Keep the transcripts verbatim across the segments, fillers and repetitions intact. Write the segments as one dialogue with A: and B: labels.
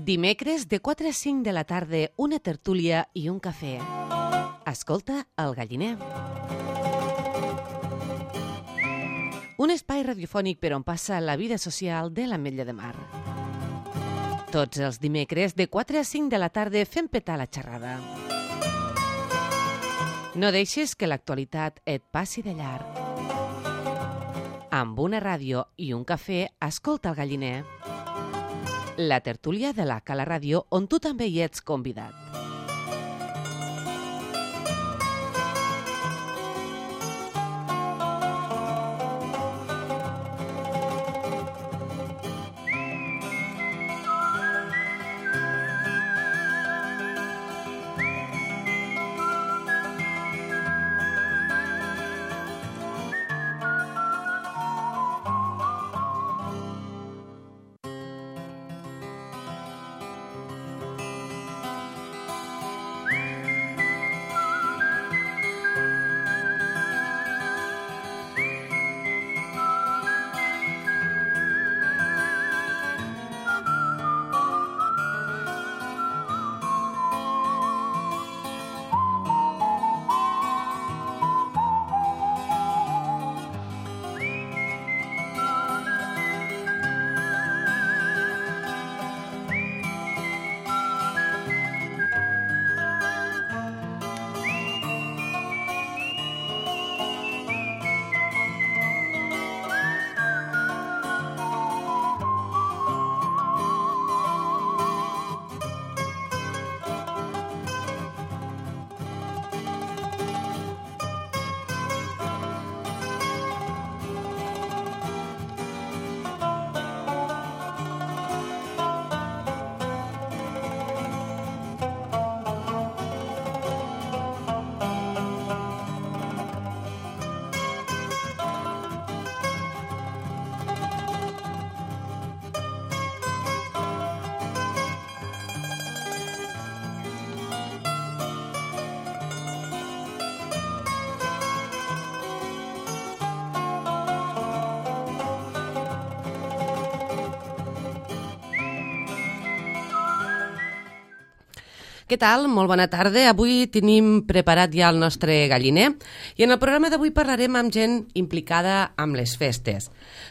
A: Dimecres de quatre a cinc de la tarda, una tertúlia i un cafè. Escolta El Galliner. Un espai radiofònic per on passa la vida social de l'Ametlla de Mar. Tots els dimecres de quatre a cinc de la tarda fem petar la xerrada. No deixes que l'actualitat et passi de llarg. Amb una ràdio i un cafè, escolta El Galliner. La tertúlia de la Cala Ràdio, on tu també hi ets convidat. Què tal? Molt bona tarda. Avui tenim preparat ja el nostre galliner i en el programa d'avui parlarem amb gent implicada amb les festes.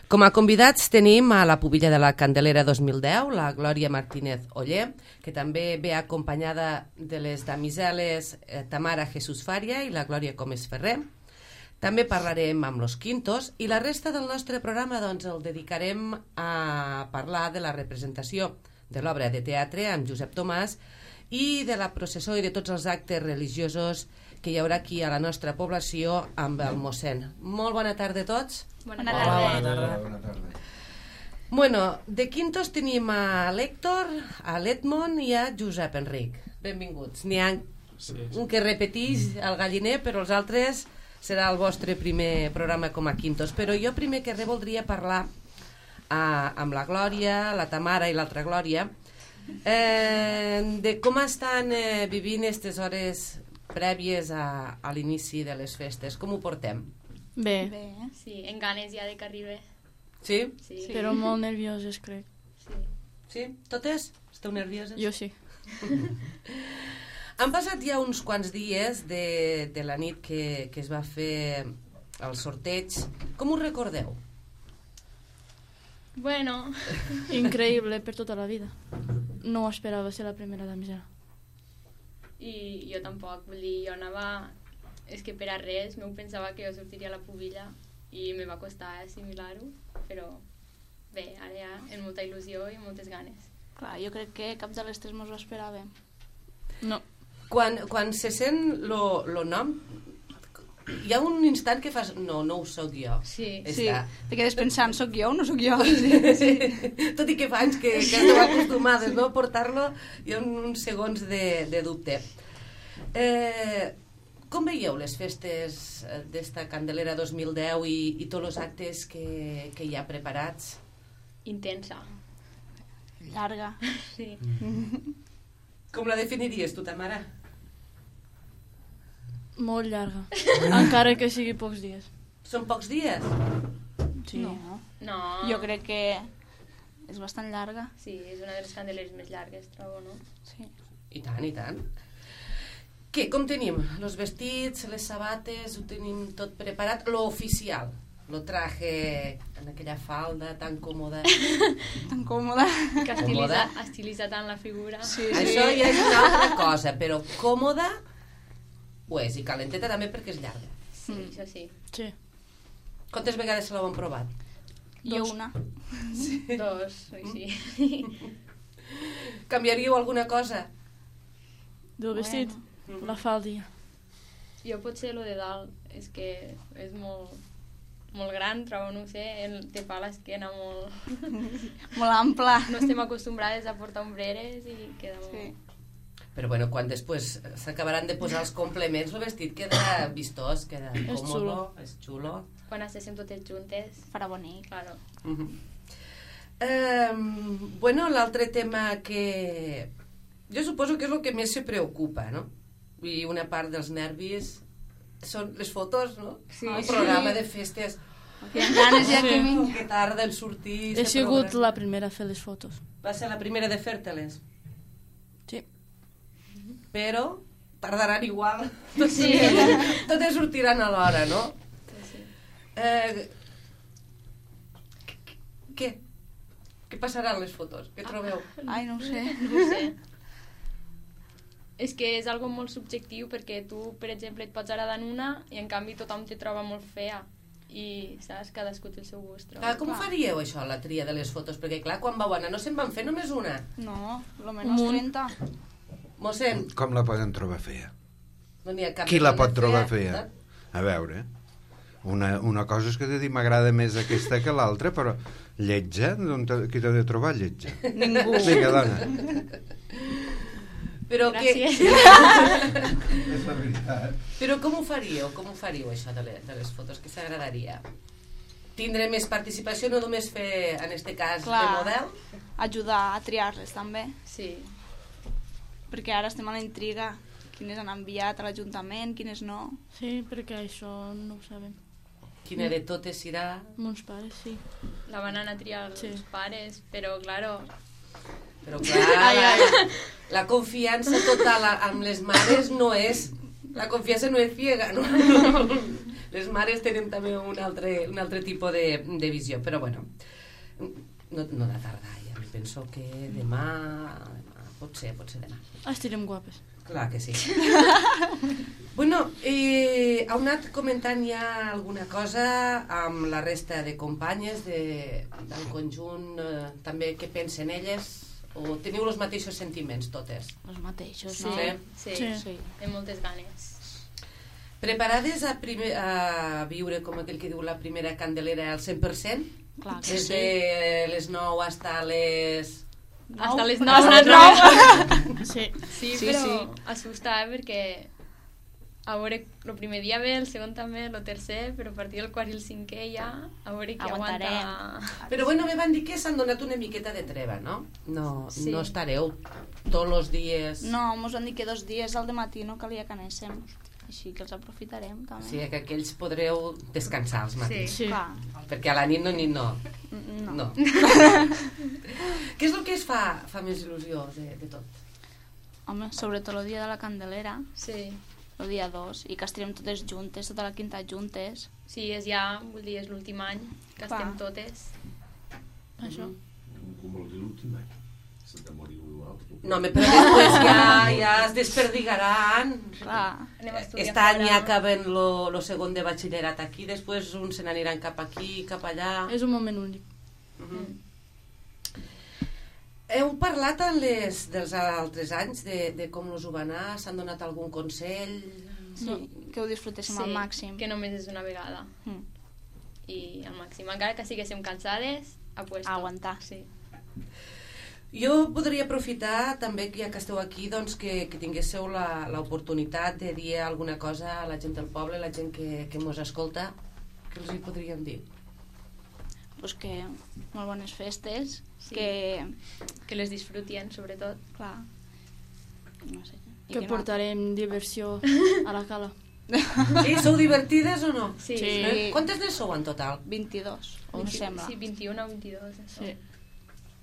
A: Com a convidats tenim a la pubilla de la Candelera dos mil deu, la Glòria Martínez Oller, que també ve acompanyada de les damiseles eh, Tamara Jesús Faria i la Glòria Comes Ferrer. També parlarem amb los Quintos i la resta del nostre programa doncs, el dedicarem a parlar de la representació de l'obra de teatre amb Josep Tomàs i de la processó i de tots els actes religiosos que hi haurà aquí a la nostra població amb el mossèn. Molt bona tarda a tots.
B: Bona tarda.
C: Bona tarda. Bona tarda.
A: Bueno, de Quintos tenim a l'Héctor, a l'Edmond i a Josep Enric. Benvinguts. N'hi ha sí, sí. un que repeteix el galliner, però els altres serà el vostre primer programa com a Quintos. Però jo primer que res voldria parlar eh, amb la Glòria, la Tamara i l'altra Glòria, Eh, de com estan eh, vivint aquestes hores prèvies a, a l'inici de les festes. Com ho portem?
B: Bé.
C: Bé, sí, en ganes ja de que arribi.
A: Sí?
C: Sí.
B: Sí. Però molt nervioses, crec.
C: Sí.
A: Sí? Totes? Esteu nervioses?
B: Jo sí.
A: Han passat ja uns quants dies de, de la nit que, que es va fer el sorteig. Com ho recordeu?
C: Bueno.
B: Increïble per tota la vida. No esperava ser la primera damisela.
C: I jo tampoc, vull dir, jo anava... És que per a res, m'ho pensava que jo sortiria a la pubilla i me va costar assimilar-ho, però bé, ara ja amb molta il·lusió i moltes ganes.
D: Clar, jo crec que cap de les tres mos ho esperàvem.
B: No.
A: Quan, quan se sent lo, lo nom, hi ha un instant que fas... No, no ho soc jo.
C: Sí,
D: sí. Te quedes pensant, soc jo o no soc jo?
A: Sí, sí. Tot i que fa anys que, que esteu acostumades, no?, a portar-lo, hi ha uns segons de, de dubte. Eh, com veieu les festes d'esta Candelera dos mil deu i, i tots els actes que, que hi ha preparats?
C: Intensa.
D: Llarga.
C: Sí.
A: Com la definiries tu, Tamara?
B: Molt llarga. Encara que sigui pocs dies.
A: Són pocs dies?
B: Sí.
D: No.
C: No.
D: Jo crec que És bastant llarga.
C: Sí, és una de les candeleres més llargues, trobo, no?
D: Sí.
A: I tant, i tant. Què, com tenim? Los vestits, les sabates, ho tenim tot preparat? Lo oficial, lo traje en aquella falda tan còmoda.
D: Tan còmoda.
C: Que estilitza, estilitza tant la figura.
D: Sí, sí.
A: Això ja és una altra cosa, però còmoda ho és, i calenteta també perquè és llarga.
C: Sí, mm. això sí.
B: Sí.
A: Quantes vegades se l'heu provat?
D: Jo una.
C: Sí. Dos, sí.
A: Canviaríeu alguna cosa?
B: Del vestit?
A: Bueno.
B: La falda.
C: Jo potser lo de dalt, és que és molt, molt gran, trobo, no ho sé, el, te fa l'esquena molt...
D: Molt ampla.
C: No estem acostumbrades a portar ombreres i queda molt...
D: Sí.
A: Però bueno, quan després s'acabaran de posar els complements, el vestit queda vistós, queda
B: És
A: còmodo,
B: xulo.
A: és xulo.
C: Quan estéssim totes juntes,
D: Farà bonic.
C: claro.
A: Uh -huh. um, bueno, l'altre tema que... Jo suposo que és el que més se preocupa, no? I una part dels nervis són les fotos, no?
C: Sí.
A: El programa de festes.
D: Tenen ganes ja que
B: Sí.
D: vinc.
A: Que tarda en sortir.
B: He
A: este
B: sigut
A: programa.
B: la primera a fer les fotos.
A: Va ser la primera de fer-te-les.
B: Sí.
A: Però tardaran igual.
C: Sí.
A: Totes sortiran a l'hora, no?
C: Sí, sí.
A: Eh, què? Què passaran les fotos? Què trobeu?
D: Ai, no ho sé.
C: No ho sé. És que és algo molt subjectiu perquè tu, per exemple, et pots agradar en una i en canvi tothom te troba molt fea. I, saps, cadascú té el seu gust. trobo.
A: Ah, com ho faríeu, això, la tria de les fotos? Perquè, clar, quan vau anar no se'n van fer només una.
D: No, lo menos
B: Munt.
D: trenta.
A: Mossèn,
E: Com la poden trobar fea?
A: no n'hi ha cap...
E: Qui la
A: persona
E: pot trobar fea? A veure, una, una cosa és que t'he dit m'agrada més aquesta que l'altra, però lletja? D'on t'ha- qui t'ha de trobar lletja?
D: Ningú.
E: Vinga, dona.
A: Però, que...
C: Gràcies.
E: És la veritat.
A: Però com ho faríeu? Com ho faríeu, això de les, de les fotos? Què s'agradaria? Tindre més participació, no només fer, en este cas,
D: Clar.
A: de model?
D: Ajudar a triar-les també.
C: Sí.
D: Perquè ara estem a la intriga. Quines han enviat a l'Ajuntament, quines no.
B: Sí, perquè això no ho sabem.
A: Quina de totes serà?
B: Mons pares, sí.
C: La van anar a triar els
B: Sí.
C: pares, però, claro,
A: Però clar, la, la confiança total a- amb les mares no és... La confiança no és ciega, no? Les mares tenen també un altre, un altre tipus de, de visió, però bueno, no, no ha de tardar, ja mi penso que demà, demà pot ser, pot ser demà.
B: Estirem guapes.
A: Clar que sí. Bueno, eh, heu anat comentant ja alguna cosa amb la resta de companyes de, del conjunt, eh, també què pensen elles? O teniu els mateixos sentiments totes?
D: Els mateixos,
C: sí,
D: no?
C: sí,
B: Sí.
C: sí. Té moltes ganes.
A: Preparades a, primer, a viure, com aquell que diu, la primera candelera al cent per cent?
D: Clar que
A: Des
D: sí.
A: de les nou hasta les...
C: Hasta les
D: Hasta
C: nou.
D: les nou.
B: Sí.
C: Sí,
D: Sí,
C: però
D: sí.
C: assusta, eh, perquè a veure, el primer dia bé, el segon també, el tercer, però a partir del quart i el cinquè ja, a veure qui
D: Aguantarem.
C: aguanta.
A: Però bueno, me van dir que s'han donat una miqueta de treva, no? No,
C: Sí.
A: no estareu tots els dies...
D: No, mos van dir que dos dies al matí no calia que anéssim. Així que els aprofitarem també.
A: O sigui que aquells podreu descansar als matins.
B: Sí.
D: Clar.
A: Perquè a la nit no, nit no.
D: No.
A: No. Què és el que es fa, fa més il·lusió de, de tot?
D: Home, sobretot el dia de la Candelera,
C: Sí.
D: el dia dos, i que estarem totes juntes, tota la quinta juntes.
C: Sí, és ja, vull dir, és l'últim any que
D: Clar.
C: estem totes.
B: Això.
F: Com vol dir l'últim any? Se te moriu l'altre.
A: No, home, però després ja, ja es desperdigaran.
D: Clar.
C: Anem a estudiar
A: Aquest any
C: fora.
A: ja acaben lo, lo segon de batxillerat aquí, després uns se n'aniran cap aquí, cap allà.
B: És un moment únic.
A: Mhm. Heu parlat en les, dels altres anys de, de com us ho va anar? S'han donat algun consell?
D: Sí, que ho disfrutéssim al màxim.
C: que només és una vegada.
D: Mm.
C: I al màxim. Encara que siguéssim cansades, a puesto.
D: A aguantar.
C: Sí.
A: Jo podria aprofitar també, que ja que esteu aquí, doncs, que, que tinguéssiu la- l'oportunitat de dir alguna cosa a la gent del poble, la gent que, que mos escolta. Què els hi podríem dir?
D: Pues que molt bones festes,
C: Sí.
D: que,
C: Que les disfrutien, sobretot.
D: clar, no sé. i
B: Que
D: no-
B: portarem diversió a la cala.
A: Sí, sou divertides o no?
C: Sí.
B: Sí.
A: Eh? Quantes n'hi sou en total?
D: vint-i-dos, em
C: vint-
D: sembla.
C: Sí, vint-i-un o vint-i-dos. Això.
B: Sí.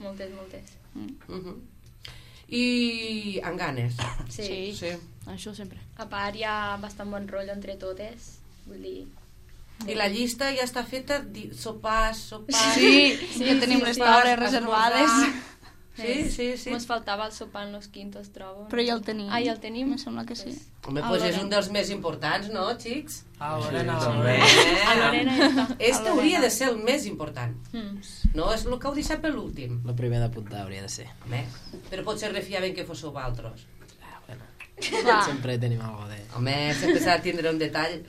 C: Moltes, moltes.
A: Uh -huh. I amb ganes.
C: Sí.
B: Sí.
A: Sí.
B: Això sempre.
C: A part, hi ha bastant bon rotllo entre totes. Vull dir...
A: I la llista ja està feta, di- sopars, sopars...
D: Sí,
C: Sí,
D: ja tenim
C: sí,
D: les
C: sí.
D: taules reservades.
A: Sí, sí, sí.
C: Mos faltava el sopar en los quintos, trobo.
D: Però ja el tenim.
C: Ah, ja el tenim?
D: Me sembla que sí.
A: Home, doncs és un dels més importants, no, xics?
G: Ah, Lorena,
F: Sí,
G: Lorena.
C: A Lorena ja està.
A: Este hauria de ser el més important.
C: Mm.
A: No, és el que heu deixat per l'últim.
H: El primer d'apuntar hauria de ser.
A: Home, però potser refiaven que fóssiu vosaltres.
H: Ah, bueno.
D: Clar.
H: Sempre tenim algo de...
A: Home, sempre s'ha de tindre un detall.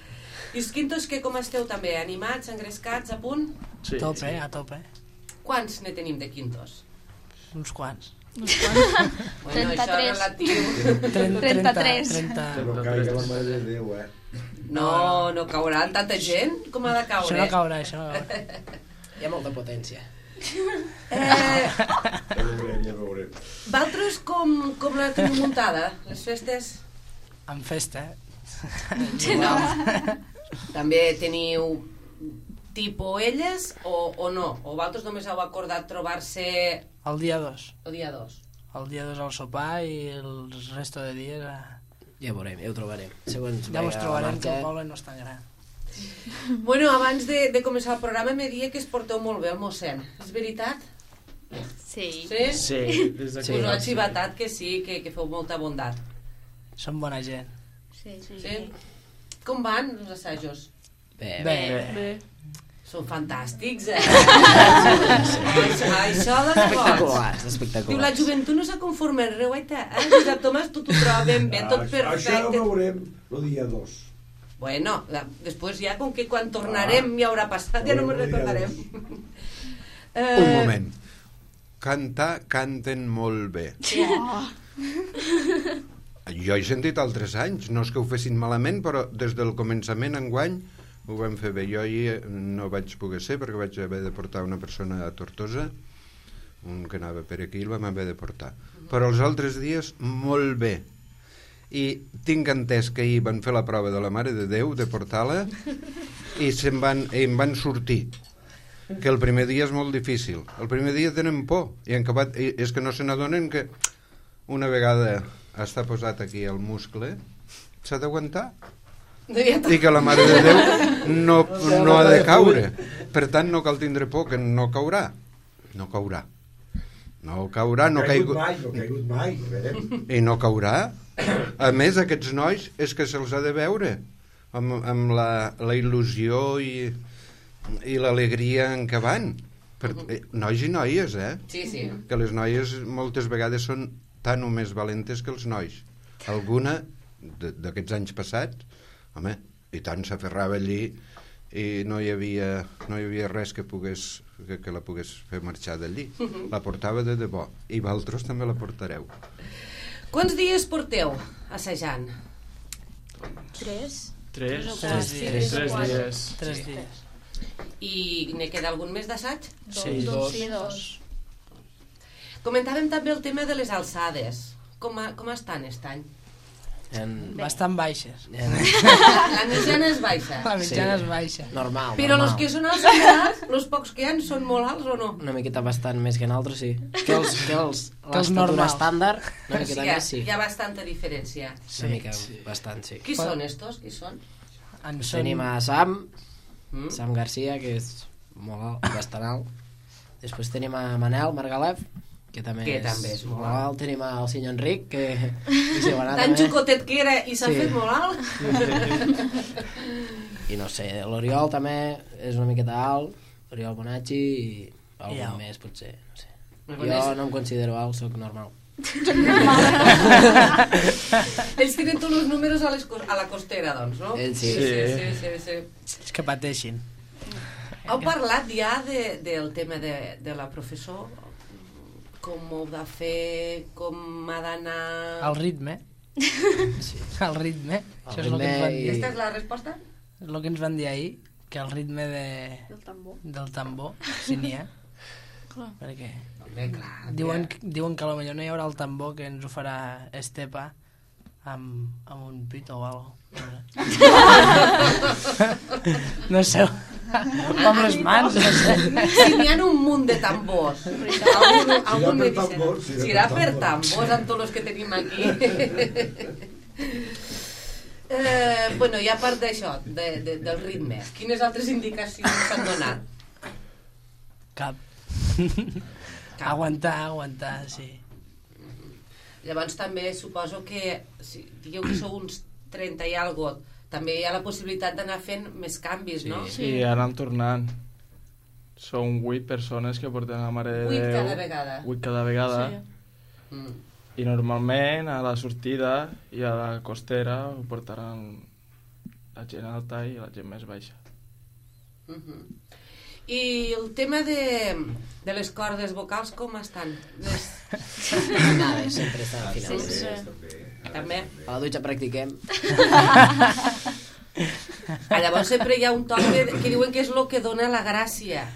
A: I els quintos, que com esteu també? Animats, engrescats, a punt?
G: A tope, a tope.
A: Quants ne tenim de quintos?
G: Uns quants.
A: Bueno, això és relatiu.
D: trenta-tres.
G: trenta.
F: Que no caigui la mare de Déu, eh?
A: No, no cauran tanta gent com ha de caure.
G: Això no caurà, això no caurà.
H: Hi ha molta potència.
A: Eh,
F: Ja veurem, ja veurem.
A: Vosaltres com, com la teniu muntada, les festes?
G: En festa, eh?
A: No. També teniu tipo elles o, o no? O vosaltres només heu acordat trobar-se
G: El dia dos.
A: el dia dos?
G: El dia dos al sopar i el resto de dies... A...
H: Ja veurem, ja ho trobarem. Segons
G: Ja mos
H: vagi la
G: trobarem que
H: marxa.
G: el poble no és tan gran.
A: Bueno, abans de, de començar el programa me dia que es porteu molt bé el mossèn. És veritat?
C: Sí.
A: Sí?
I: Sí, des de
A: Us ho ha xivatat que sí, que, que feu molta bondat.
G: Som bona gent.
C: Sí.
A: Sí? Com van els assajos?
H: Bé,
G: Bé.
H: bé.
B: Bé.
A: Són fantàstics, eh? Això, això de boig.
H: Espectaculars,
A: Diu,
H: espectaculars.
A: la joventut no s'ha conformat res, guaita. Eh? Josep Tomàs, tu t'ho trobem bé, tot
F: Ah, Això ho
A: perfecte.
F: veurem el dia dos.
A: Bueno, la, després ja, com que quan tornarem ja haurà passat, ja no me'n recordarem.
E: Un moment. Cantar, canten molt bé. Jo he sentit altres anys, no és que ho fessin malament, però des del començament enguany ho vam fer bé. Jo ahir no vaig poder ser perquè vaig haver de portar una persona a Tortosa, un que anava per aquí, el vam haver de portar. Però els altres dies, molt bé. I tinc entès que ahir van fer la prova de la Mare de Déu, de portar-la, i se'n van, i em van sortir. Que el primer dia és molt difícil. El primer dia tenen por, i en acabat, i és que no se n'adonen que una vegada està posat aquí el muscle, s'ha d'aguantar. I que la Mare de Déu no, no ha de caure. Per tant, no cal tindre por, que no caurà. No caurà. No caurà, no
F: ha caigut
E: caigut...
F: mai, no ha caigut mai, a veure.
E: I no caurà. A més, aquests nois és que se'ls ha de veure amb, amb la, la il·lusió i, i l'alegria en què van. Per, eh, nois i noies, eh?
A: Sí, sí.
E: Que les noies moltes vegades són tan o més valentes que els nois. Alguna de- d'aquests anys passats, home, i tant s'aferrava allí i no hi havia, no hi havia res que, pogués, que, que la pogués fer marxar d'allí. La portava de debò. I vosaltres també la portareu.
A: Quants dies porteu assajant?
B: Tres.
I: Tres,
G: Tres dies.
I: tres dies.
G: Tres dies.
A: I ne queda algun més d'assaig?
G: Sí,
B: Dos.
G: dos.
B: Sí, dos.
A: Comentàvem també el tema de les alçades. Com, a, com estan aquest any?
H: En...
G: Bastant baixes.
H: En...
A: La mitjana és baixa.
G: La mitjana és baixa.
H: Normal,
A: Però
H: normal.
A: els que són alts molt alts, els pocs que hi ha, són molt alts o no?
H: Una miqueta bastant més que en altres, sí. Que els, que els,
G: Que els
H: l'estatura
G: normals.
H: estàndard, una
A: O
H: miqueta
A: sigui,
H: més, sí.
A: hi ha bastanta diferència.
H: Una mica, bastant, sí.
A: Qui són estos? Qui són?
G: En
H: Tenim a Sam,
A: Mm?
H: Sam Garcia, que és molt alt, bastant alt. Després tenim a Manel Margalef, que també,
A: Que
H: és,
A: també és molt
H: molt alt. Tenim al senyor Enric, que... que s'hi va anar
A: Tan
H: també.
A: xucotet que era i s'ha
H: Sí.
A: fet molt alt?
H: I no sé, l'Oriol també és una miqueta alt, Oriol Bonacci i algun
G: I au.
H: més, potser, no sé.
A: Me
H: Jo
A: coneix?
H: no em considero alt, sóc normal.
A: Ells tenen tots els números a, les, cos- a la costera, doncs, no?
H: Ells sí.
A: Sí, sí, sí, sí.
G: És que pateixin.
A: Heu parlat ja de, del tema de, de la professor? Com ho heu de fer? Com ha d'anar...
G: El ritme.
H: Sí.
G: El ritme.
H: El
G: Això és el que ens
H: ritme
G: van
H: i-
G: dir.
A: Aquesta és la resposta?
G: És el que ens van dir ahir, que el ritme de,
B: El tambor.
G: del tambor, si n'hi ha.
B: Clar.
G: Perquè
A: Bé, clar.
G: diuen, diuen que potser no hi haurà el tambor que ens ho farà Estepa amb, amb un pito o alguna cosa. No sé. Com les mans, no sé.
A: Si n'hi ha un munt de tambors. Algun, algun
F: per
A: me dice,
F: tambors, si era
A: si era
F: per
A: per
F: tambors.
A: tambors amb tots els que tenim aquí. eh, bueno, i a part d'això, de, de, del ritme, quines altres indicacions s'han donat?
G: Cap.
A: Cap.
G: Aguantar, aguantar, sí.
A: Llavors també suposo que, si digueu que sou uns trenta i algo, també hi ha la possibilitat d'anar fent més canvis, no?
I: Sí, i anem tornant. Són vuit persones que porten la Mare de Déu.
A: Vuit cada vegada.
I: Vuit cada vegada.
B: Sí.
A: Mm.
I: I normalment a la sortida i a la costera ho portaran la gent alta i la gent més baixa.
A: Uh -huh. I el tema de, de les cordes vocals com estan? Les...
H: Nada, sempre està al final.
B: Sí, sí.
A: També?
H: A la dutxa practiquem.
A: Ah, llavors sempre hi ha un toc que, que diuen que és el que dona la gràcia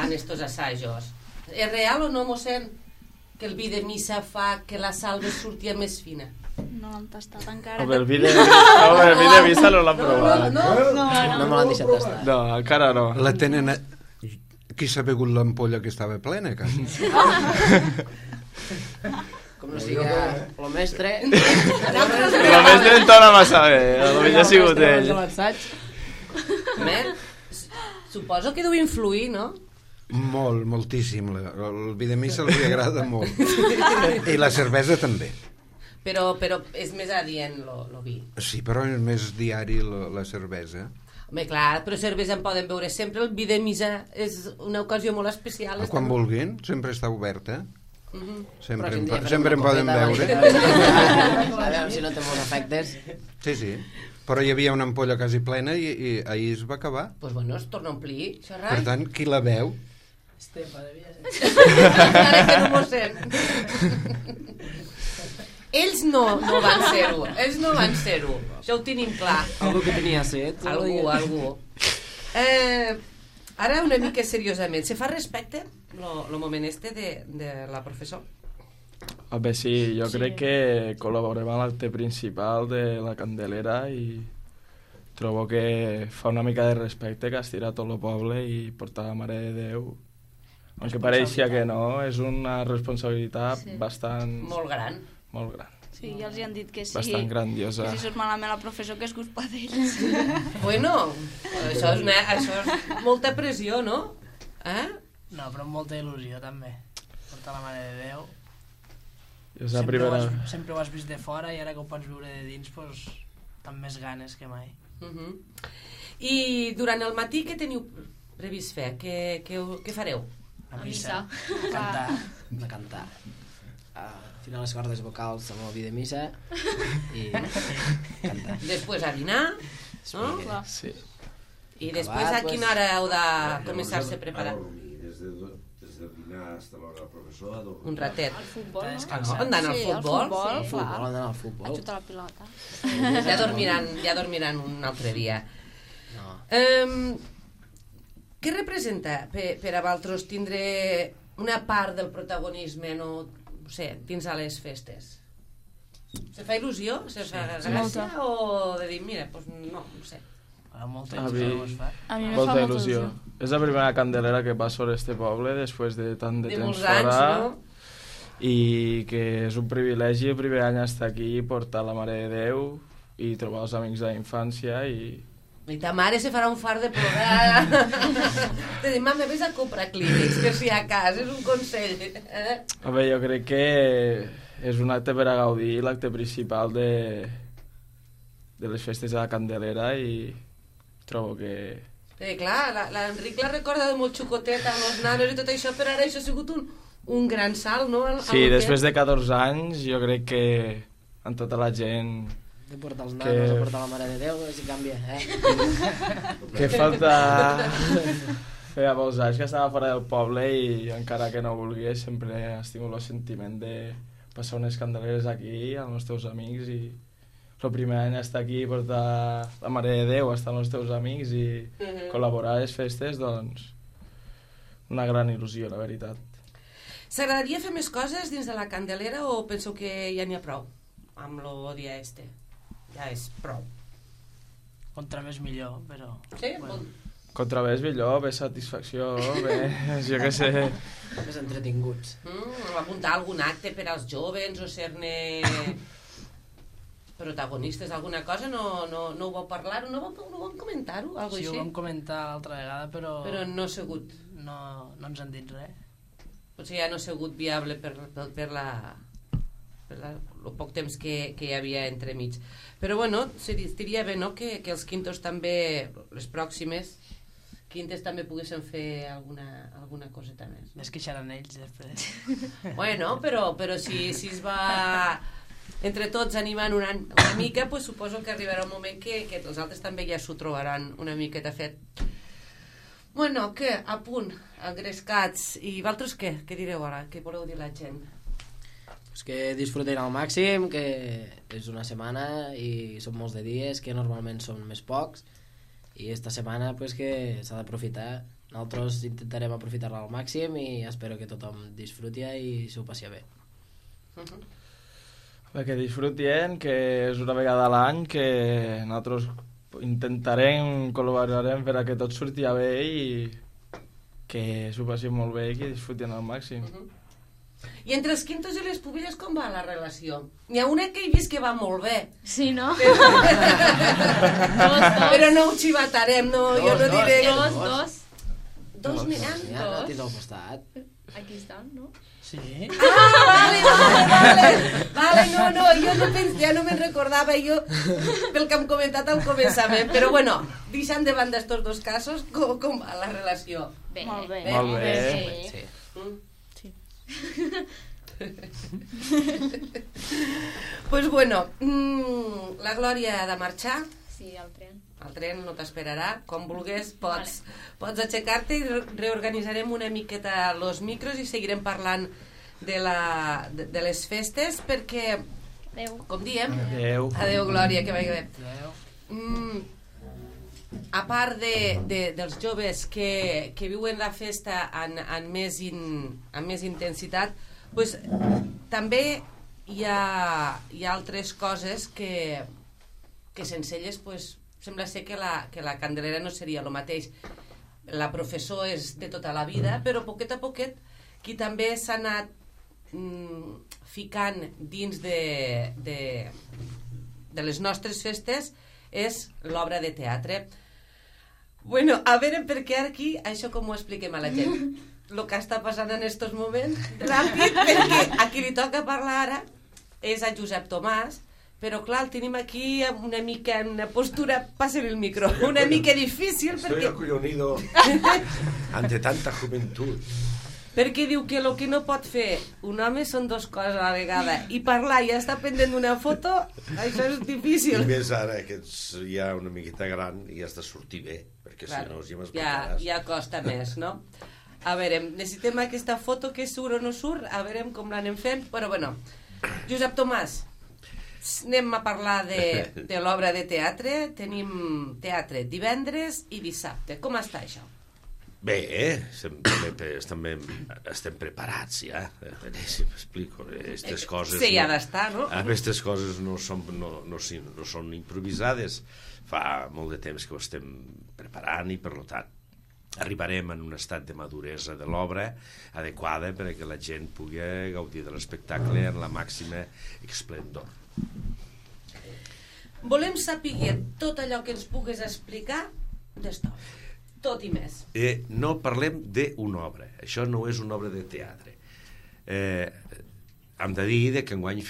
A: en estos assajos. És real o no, mossèn? Que el vi de missa fa que la salve surti més fina?
D: No l'hem tastat encara.
I: Home, el vi de, home, el vi de missa no l'han
A: No,
I: provat.
A: no, no.
H: No, no me l'han deixat tastar.
I: No, encara no.
E: La tenen... A... Qui s'ha begut l'ampolla que estava plena, quasi?
H: Com no sigui el mestre...
I: La més d'entona massa bé, potser ha sigut ell.
A: Home, suposo que deu influir, no?
E: Molt, moltíssim. El vi de missa els agrada molt. I la cervesa també.
A: Però, però és més adient lo, lo vi.
E: Sí, però és més diari la, la cervesa.
A: Home, clar, però cervesa en poden beure sempre. El vi de missa és una ocasió molt especial.
E: Ah, quan vulguin, sempre està oberta.
A: Uh -huh.
E: Sempre,
H: Però
E: en,
H: si un dia
E: po-
H: fem
E: sempre en
H: una
E: poden
H: copeta,
E: veure.
H: A veure si no té molts efectes.
E: Sí, sí. Però hi havia una ampolla quasi plena i, i ahir es va acabar.
A: Doncs pues bueno, es torna a omplir, això
E: Per
A: rai.
E: tant, qui la veu?
G: Estefa, devia ser.
A: Encara que no m'ho sent. Ells no, no van ser-ho. Ells no van ser-ho. Això ho tenim clar.
H: Algú que tenia set.
A: Algú, algú. Eh, ara una mica seriosament. Se fa respecte lo, lo moment este de, de la professor?
I: Home, sí, jo
B: Sí.
I: crec que col·laborem a l'acte principal de la Candelera i trobo que fa una mica de respecte que estira tot el poble i portar la Mare de Déu. Aunque pareixia que no, és una responsabilitat
B: Sí.
I: bastant...
A: Molt gran.
I: Molt gran.
D: Sí, ja els hi han dit que sí.
I: Bastant grandiosa.
D: Que si surt malament la professor, que és culpa d'ells.
A: Bueno, això és, una, això és molta pressió, no? Eh?
G: No, però amb molta il·lusió, també. Portar la Mare de Déu.
I: És la
G: Sempre,
I: primera...
G: ho has, sempre ho has vist de fora i ara que ho pots viure de dins, doncs, amb més ganes que mai.
A: Uh -huh. I durant el matí què teniu previst fer? Què, què, què fareu?
G: A
B: A
G: missa.
B: missa.
G: A cantar.
H: De cantar. Uh, finar les cordes vocals amb el vi de missa i cantar.
A: Després a dinar, no?
B: Clar.
I: Sí.
A: I després a quina hora heu de començar-se a preparar?
F: A dormir, des de, des de dinar fins a l'hora del professor a dormir.
A: Un ratet.
B: Al futbol,
G: Està
B: no?
G: descansant.
A: Anant al
B: Sí, al
A: futbol?
B: futbol.
H: Al futbol,
B: clar.
H: anar al
B: A
H: futbol.
B: xutar la pilota.
A: Ja dormiran, ja dormiran un altre dia.
H: No.
A: Um, què representa per, per a vosaltres tindre una part del protagonisme, no, no sé, dins a les festes? Se fa il·lusió? Se fa
B: sí.
A: gràcia?
B: Molta.
A: O de dir, mira, doncs no, no sé.
G: Amb molta
I: A
G: il·lusió
I: mi-
G: ho es fa.
B: A mi me
I: Molta
B: fa
I: il·lusió. És la primera Candelera que passa sobre este poble després de tant de,
A: De
I: temps
A: molts
I: fora.
A: anys, no?
I: I que és un privilegi el primer any estar aquí, portar la Mare de Déu i trobar els amics de la infància i...
A: I ta mare se farà un fart de plorar. Te dic, mama, vés a comprar clínics, per si a cas, és un consell. Eh?
I: A veure, jo crec que és un acte per a gaudir, l'acte principal de, de les festes de la Candelera i trobo que...
A: Eh, clar, la- l'Enric la recorda de molt xocoteta amb els nanos i tot això, però ara això ha sigut un, un gran salt, no? Al,
I: Sí, després de catorze anys jo crec que amb tota la gent
H: De portar els
I: Que-
H: nanos a portar la Mare de Déu, si canvia, eh?
I: que falta... Feia molts anys que estava fora del poble i encara que no vulguis sempre has tingut el sentiment de passar unes candeleres aquí amb els teus amics i el primer any estar aquí i portar la Mare de Déu, estar amb els teus amics i
A: Mhm.
I: col·laborar a les festes, doncs una gran il·lusió, la veritat.
A: S'agradaria fer més coses dins de la Candelera o penseu que ja n'hi ha prou amb lo dia este? Ja és prou.
G: Contra més millor, però...
A: Sí?
G: Bueno,
I: contra bé és millor, bé satisfacció, bé, jo què sé.
H: Més entretinguts.
A: Mm, apuntar algun acte per als jovens o ser-ne protagonistes d'alguna cosa, no, no, no ho vau parlar, no vau, no vau comentar-ho, algo
G: Sí,
A: així?
G: ho vam comentar l'altra vegada, però...
A: Però no ha sigut...
G: No, no ens han dit res.
A: Potser ja no ha sigut viable per, per, per la... per la, el poc temps que, que hi havia entremig. Però bueno, seria bé, no?, que, que els quintos també, les pròximes quintes també poguessin fer alguna, alguna coseta més.
G: Es queixaran ells després.
A: Bueno, però, però si, si es va entre tots animant una, una mica, pues suposo que arribarà un moment que, que els altres també ja s'ho trobaran una miqueta fet. Bueno, què? A punt, engrescats. I vosaltres què? Què direu ara? Què voleu dir la gent?
H: Pues que disfruten al màxim, que és una setmana i són molts de dies, que normalment són més pocs, i esta setmana pues, que s'ha d'aprofitar. Nosaltres intentarem aprofitar-la al màxim i espero que tothom disfruti i s'ho passi bé.
A: Uh-huh.
I: Bé, que disfrutien, que és una vegada a l'any, que nosaltres intentarem, col·laborarem per a que tot surti bé i que s'ho passin molt bé i que disfrutin al màxim.
A: Uh-huh. I entre els quintos i les pubilles com va la relació? N'hi ha una que he vist que va molt bé.
C: Sí, no?
A: Però,
C: dos, dos.
A: però no ho xivatarem, no,
H: Dos,
A: jo no
H: dos,
A: diré...
C: Dos, dos.
A: Dos n'hi ha?
H: Ja no tens al costat.
C: Aquí estan, no?
G: Sí?
A: Ah, vale, vale, vale. Vale, no, no, jo no pens, ja no me'n recordava jo pel que hem comentat al començament. Però bueno, deixant de banda estos dos casos, com, com va la relació?
C: Bé.
D: Molt bé.
I: Molt bé.
C: Sí.
H: Sí.
A: Mm?
D: Sí.
A: Pues bueno, mmm, la Glòria ha de marxar.
C: Sí, el tren.
A: El tren no t'esperarà. Quan vulguis pots, pots aixecar-te i re- reorganitzarem una miqueta los micros i seguirem parlant de, la, de, de les festes perquè,
C: Adéu.
A: com diem...
I: Adéu.
A: Adéu, Glòria, que vagi bé.
G: Adéu.
A: Mm, a part de, de, dels joves que, que viuen la festa en, en, més, in, en més intensitat, pues, també hi ha, hi ha altres coses que, que sense elles pues, sembla ser que la, que la Candelera no seria el mateix. La professor és de tota la vida, però poquet a poquet qui també s'ha anat mm, ficant dins de, de, de les nostres festes és l'obra de teatre. Bueno, a veure per què aquí això com ho expliquem a la gent. El que està passant en estos moments, ràpid, perquè a qui li toca parlar ara és a Josep Tomàs, però clar, el tenim aquí una mica en una postura, passen el micro, una mica difícil
F: Estoy
A: perquè,
F: acollonido ante tanta juventud.
A: perquè diu que el que no pot fer un home són dues coses a la vegada i parlar i estar pendent d'una foto, això és
F: I
A: difícil.
F: més ara que ets ja una miqueta gran i has de sortir bé, perquè
A: Clar,
F: si no ja
A: ja,
F: m'espantaràs.
A: ja costa més, no? A veure, necessitem aquesta foto que surt o no surt, a veure com l'anem fent, però bueno, Josep Tomàs, anem a parlar de, de l'obra de teatre. Tenim teatre divendres i dissabte. Com està això?
F: Bé, eh? Estem, també, també estem preparats ja. A veure si m'explico. Aquestes coses...
A: Sí, ha
F: no,
A: d'estar, no?
F: Aquestes coses no són, no, no, sí, no són improvisades. Fa molt de temps que ho estem preparant i, per tant, arribarem en un estat de maduresa de l'obra adequada perquè la gent pugui gaudir de l'espectacle en la màxima esplendor.
A: Volem saber tot allò que ens pugues explicar d'estona. Tot i més.
F: Eh, no parlem d'una obra. Això no és una obra de teatre. Eh, hem de dir que enguany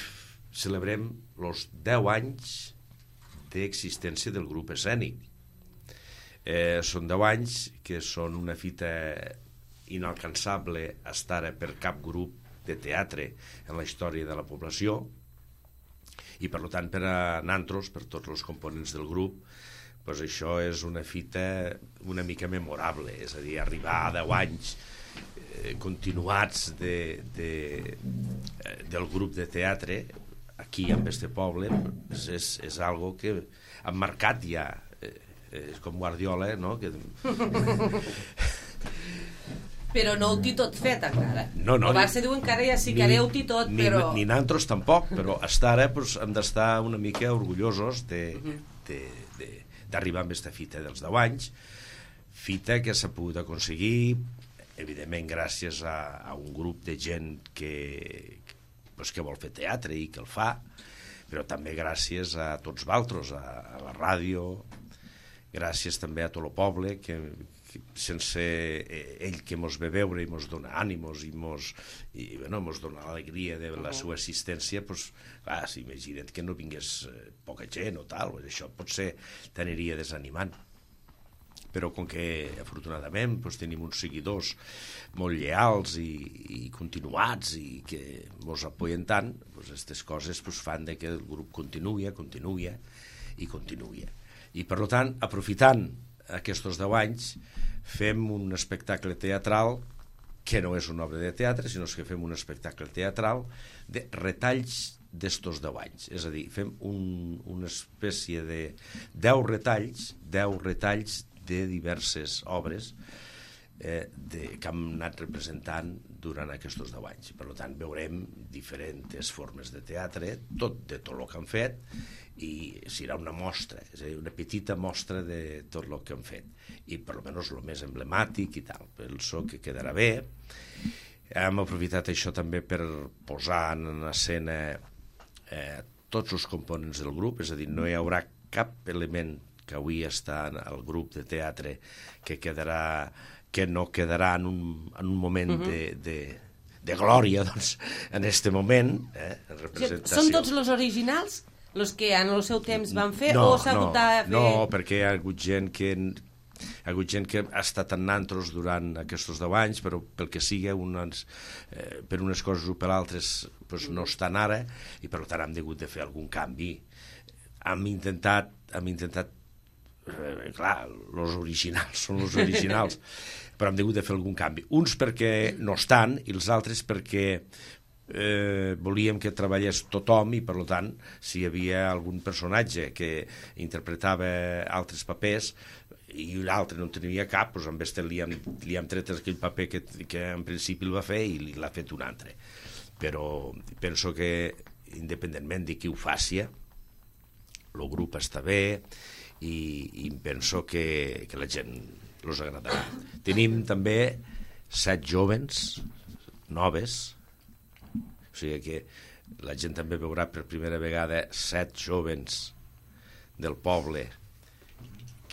F: celebrem els deu anys d'existència del grup escènic. Eh, són deu anys que són una fita inalcançable estar per cap grup de teatre en la història de la població i per tant per a nantros, per tots els components del grup, pues això és una fita una mica memorable, és a dir, arribar a deu anys eh, continuats de, de, eh, del grup de teatre aquí en este poble és, és, és algo que han marcat ja, eh, és com Guardiola, no? Que...
A: Però no ho té tot fet encara.
F: No, no,
A: el Barça diu encara ja sí que
F: ni,
A: ho té tot,
F: ni,
A: però...
F: Ni nantros tampoc, però estar ara pues, hem d'estar una mica orgullosos de, de, de, d'arribar amb aquesta fita dels deu anys, fita que s'ha pogut aconseguir, evidentment gràcies a, a un grup de gent que, pues, que vol fer teatre i que el fa, però també gràcies a tots vosaltres, a, a la ràdio, gràcies també a tot el poble, que, que sense ell que mos ve veure i mos dona ànimos i mos, i, bueno, mos dona l'alegria de la seva assistència, pues, clar, s'imaginen que no vingués poca gent o tal, això potser t'aniria desanimant. Però com que afortunadament doncs, tenim uns seguidors molt lleals i, i continuats i que ens apoyen tant, aquestes doncs, coses doncs, fan de que el grup continuï, continuï i continuï. I per tant, aprofitant aquests deu anys, fem un espectacle teatral que no és una obra de teatre, sinó que fem un espectacle teatral de retalls d'estos deu anys. És a dir, fem un, una espècie de deu retalls, deu retalls de diverses obres eh, de, que hem anat representant durant aquests deu anys. Per tant, veurem diferents formes de teatre, tot de tot el que han fet, i serà una mostra, és a dir, una petita mostra de tot el que han fet. I per almenys el més emblemàtic i tal. Penso que quedarà bé. Hem aprofitat això també per posar en escena eh, tots els components del grup, és a dir, no hi haurà cap element que avui està al grup de teatre que quedarà, que no quedarà en un, en un moment uh-huh. de, de, de glòria, doncs, en este moment, eh, en representació.
A: Són tots els originals, els que en el seu temps van fer,
F: no,
A: o s'ha hagut
F: no,
A: de fer...
F: No, perquè hi ha hagut gent que... Hi ha hagut gent que ha estat en nantros durant aquests deu anys, però pel que sigui, unes, eh, per unes coses o per altres pues, no estan ara, i per tant hem hagut de fer algun canvi. Hem intentat, hem intentat Eh, clar, els originals són els originals, però hem hagut de fer algun canvi. Uns perquè no estan i els altres perquè eh, volíem que treballés tothom i per tant si hi havia algun personatge que interpretava altres papers i l'altre no en tenia cap, doncs amb este li hem, li hem tret aquell paper que, que en principi el va fer i l'ha fet un altre. Però penso que independentment de qui ho faci, el grup està bé i, i penso que, que la gent els agradarà. Tenim també set jovens noves, o sigui que la gent també veurà per primera vegada set jovens del poble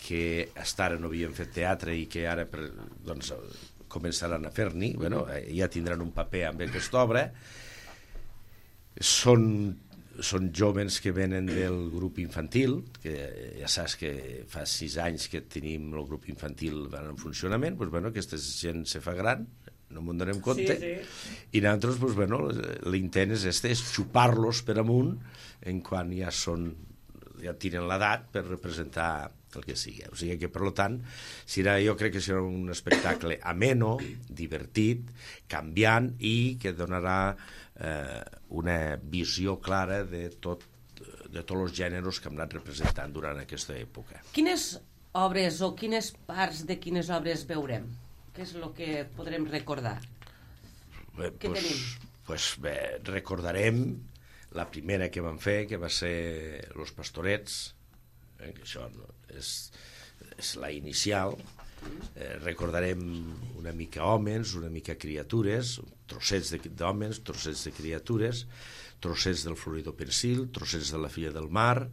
F: que fins ara no havien fet teatre i que ara per, doncs, començaran a fer-n'hi, bueno, ja tindran un paper amb aquesta obra. Són són jóvens que venen del grup infantil, que ja saps que fa sis anys que tenim el grup infantil en funcionament, doncs, bueno, aquesta gent se fa gran, no m'ho donem compte, sí, sí. I nosaltres, doncs, bueno, l'intent és este, és xupar-los per amunt en quan ja són, ja tenen l'edat per representar el que sigui. O sigui que, per tant, serà, jo crec que serà un espectacle ameno, divertit, canviant i que donarà eh, una visió clara de tot de tots els gèneres que hem anat representant durant aquesta època.
A: Quines obres o quines parts de quines obres veurem? Què és el que podrem recordar?
F: Bé,
A: Què
F: pues,
A: tenim?
F: Pues, bé, recordarem la primera que vam fer, que va ser Los Pastorets, eh, que això és, és la inicial. Eh, recordarem una mica homes, una mica criatures, trossets d'homes, trossets de criatures, trossets del Florido Pensil, trossets de La filla del mar,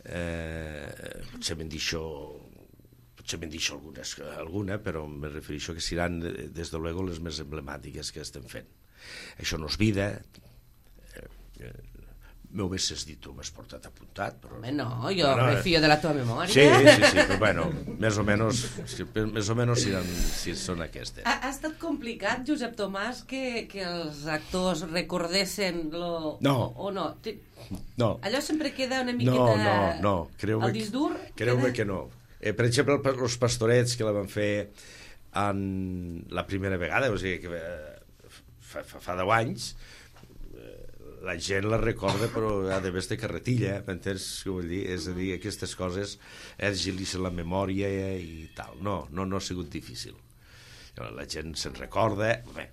F: eh, potser me'n deixo potser me'n deixo algunes, alguna, però me refereixo que seran, des de luego, les més emblemàtiques que estem fent. Això no és vida, eh, eh, m'ho haguessis dit, tu m'has portat apuntat, però...
A: Home, no, jo bueno, me fio de la teva memòria.
F: Sí, sí, sí, però bueno, més o menys, més o menys si, si són aquestes.
A: Ha, ha estat complicat, Josep Tomàs, que, que els actors recordessin lo...
F: No.
A: O no?
F: No.
A: Allò sempre queda una miqueta...
F: No, no, no, creu-me,
A: el disc dur?
F: Creu-me
A: queda...
F: que no. Eh, per exemple, els Pastorets, que la van fer en la primera vegada, o sigui, que fa, fa, fa deu anys, la gent la recorda, però a més de carretilla, m'entens què vull dir? És a dir, aquestes coses és agilitzar la memòria i tal. No, no, no ha sigut difícil. La gent se'n recorda, bé,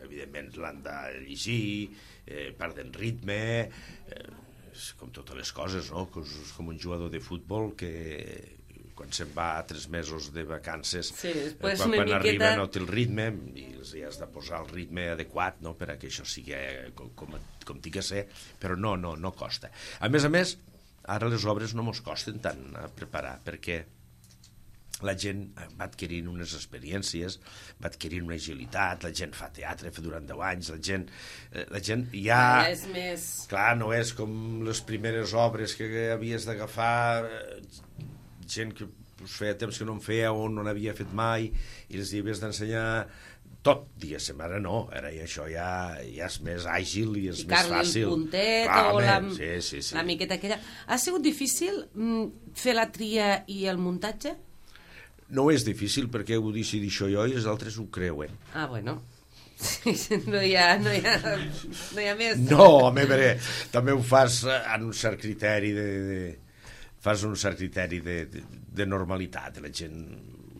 F: evidentment l'han de llegir, eh, perden ritme, eh, com totes les coses, no? Com un jugador de futbol que, quan se'n va tres mesos de vacances,
A: sí,
F: eh,
A: quan,
F: quan
A: miqueta...
F: arriba no té el ritme i els hi has de posar el ritme adequat, no?, per a que això sigui com, com, com tingui que ser, però no, no, no costa. A més a més, ara les obres no mos costen tant a preparar, perquè la gent va adquirint unes experiències, va adquirint una agilitat, la gent fa teatre fa durant deu anys, la gent, eh, la gent ja...
A: ja és més...
F: Clar, no és com les primeres obres que havies d'agafar eh, gent que pues, feia temps que no en feia o no n'havia fet mai i els havies d'ensenyar tot, diguéssim, ara no, ara això ja, ja és més àgil i és més fàcil.
A: Ficar-li el puntet
F: Clar,
A: o la,
F: sí, sí, sí.
A: la miqueta aquella. Ha sigut difícil mm, fer la tria i el muntatge?
F: No és difícil perquè ho decidir això jo i els altres ho creuen.
A: Ah, bueno. no, hi ha, no, hi ha, no hi ha més.
F: No, home, veure, també ho fas en un cert criteri de... de fas un cert criteri de, de, de normalitat, la gent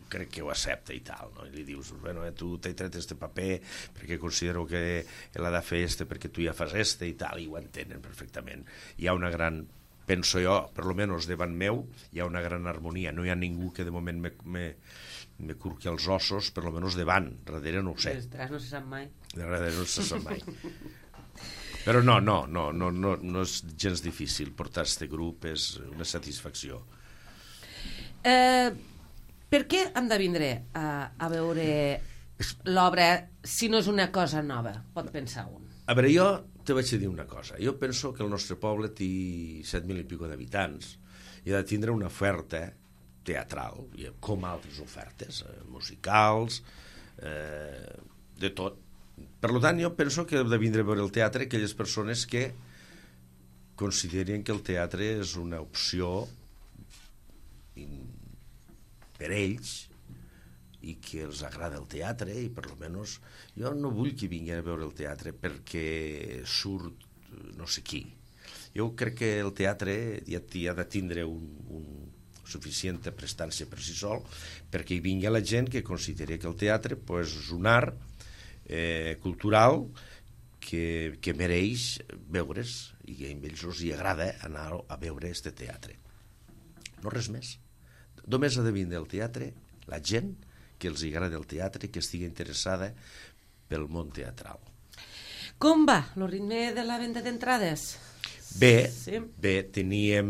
F: crec que ho accepta i tal, no? I li dius, bueno, eh, tu t'he tret este paper perquè considero que l'ha de fer este perquè tu ja fas este i tal, i ho entenen perfectament. Hi ha una gran, penso jo, per lo menos davant meu, hi ha una gran harmonia, no hi ha ningú que de moment me, me, me curqui els ossos, per lo menos davant, darrere no ho sé.
A: Ostres, no se sap mai.
F: Darrere no se sap mai. Però no, no, no, no, no, no és gens difícil portar este grup, és una satisfacció.
A: Eh, per què hem de vindre a, a veure l'obra si no és una cosa nova? Pot pensar un.
F: A veure, jo te vaig dir una cosa. Jo penso que el nostre poble té set mil i pico d'habitants i ha de tindre una oferta teatral, com altres ofertes, eh, musicals, eh, de tot. Per tant, jo penso que ha de vindre a veure el teatre aquelles persones que consideren que el teatre és una opció per ells i que els agrada el teatre i per lo menos jo no vull que vinguin a veure el teatre perquè surt no sé qui. Jo crec que el teatre ja, ja ha de tindre un, un suficient prestància per si sol perquè hi vingui la gent que consideri que el teatre pues, és un art eh, cultural que, que mereix veure's i que a ells els hi agrada anar a veure este teatre. No res més. Només ha de vindre al teatre la gent que els agrada el teatre i que estigui interessada pel món teatral.
A: Com va el ritme de la venda d'entrades?
F: Bé,
A: sí.
F: bé, teníem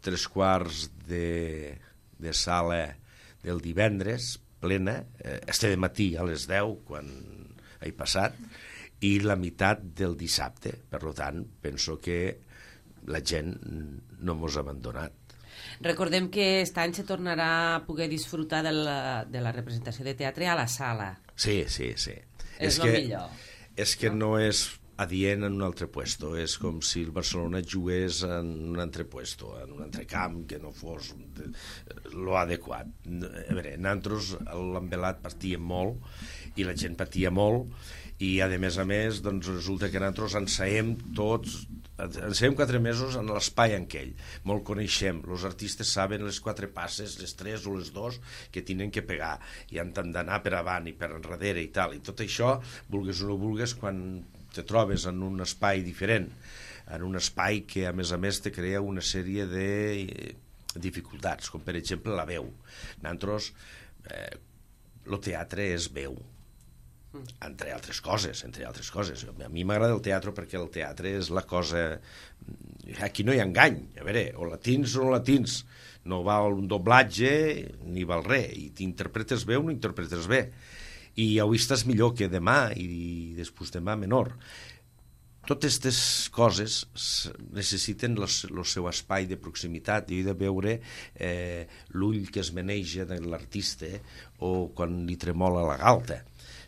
F: tres quarts de, de sala del divendres plena, eh, este de matí a les deu quan he passat, i la meitat del dissabte. Per tant, penso que la gent no mos ha abandonat.
A: Recordem que aquest any se tornarà a poder disfrutar de la, de la representació de teatre a la sala.
F: Sí, sí, sí.
A: És, és el millor.
F: És que no, no és adient en un altre puesto, és com si el Barcelona jugués en un altre puesto, en un altre camp que no fos lo adequat. A veure, nosaltres l'embelat patíem molt i la gent patia molt i a més a més doncs resulta que nosaltres ensaiem tots ensaiem quatre mesos en l'espai en aquell, molt coneixem, els artistes saben les quatre passes, les tres o les dos que tenen que pegar i han d'anar per avant i per enrere i tal, i tot això, vulgues o no vulgues, quan te trobes en un espai diferent, en un espai que a més a més te crea una sèrie de dificultats, com per exemple la veu. Nosaltres, eh, el teatre és veu, entre altres coses, entre altres coses. A mi m'agrada el teatre perquè el teatre és la cosa... Aquí no hi ha engany, a veure, o la tins o no la tins, no val un doblatge ni val res, i t'interpretes bé o no interpretes bé, i avui estàs millor que demà i després demà menor. Totes aquestes coses necessiten el seu espai de proximitat i he de veure eh, l'ull que es maneja de l'artista o quan li tremola la galta.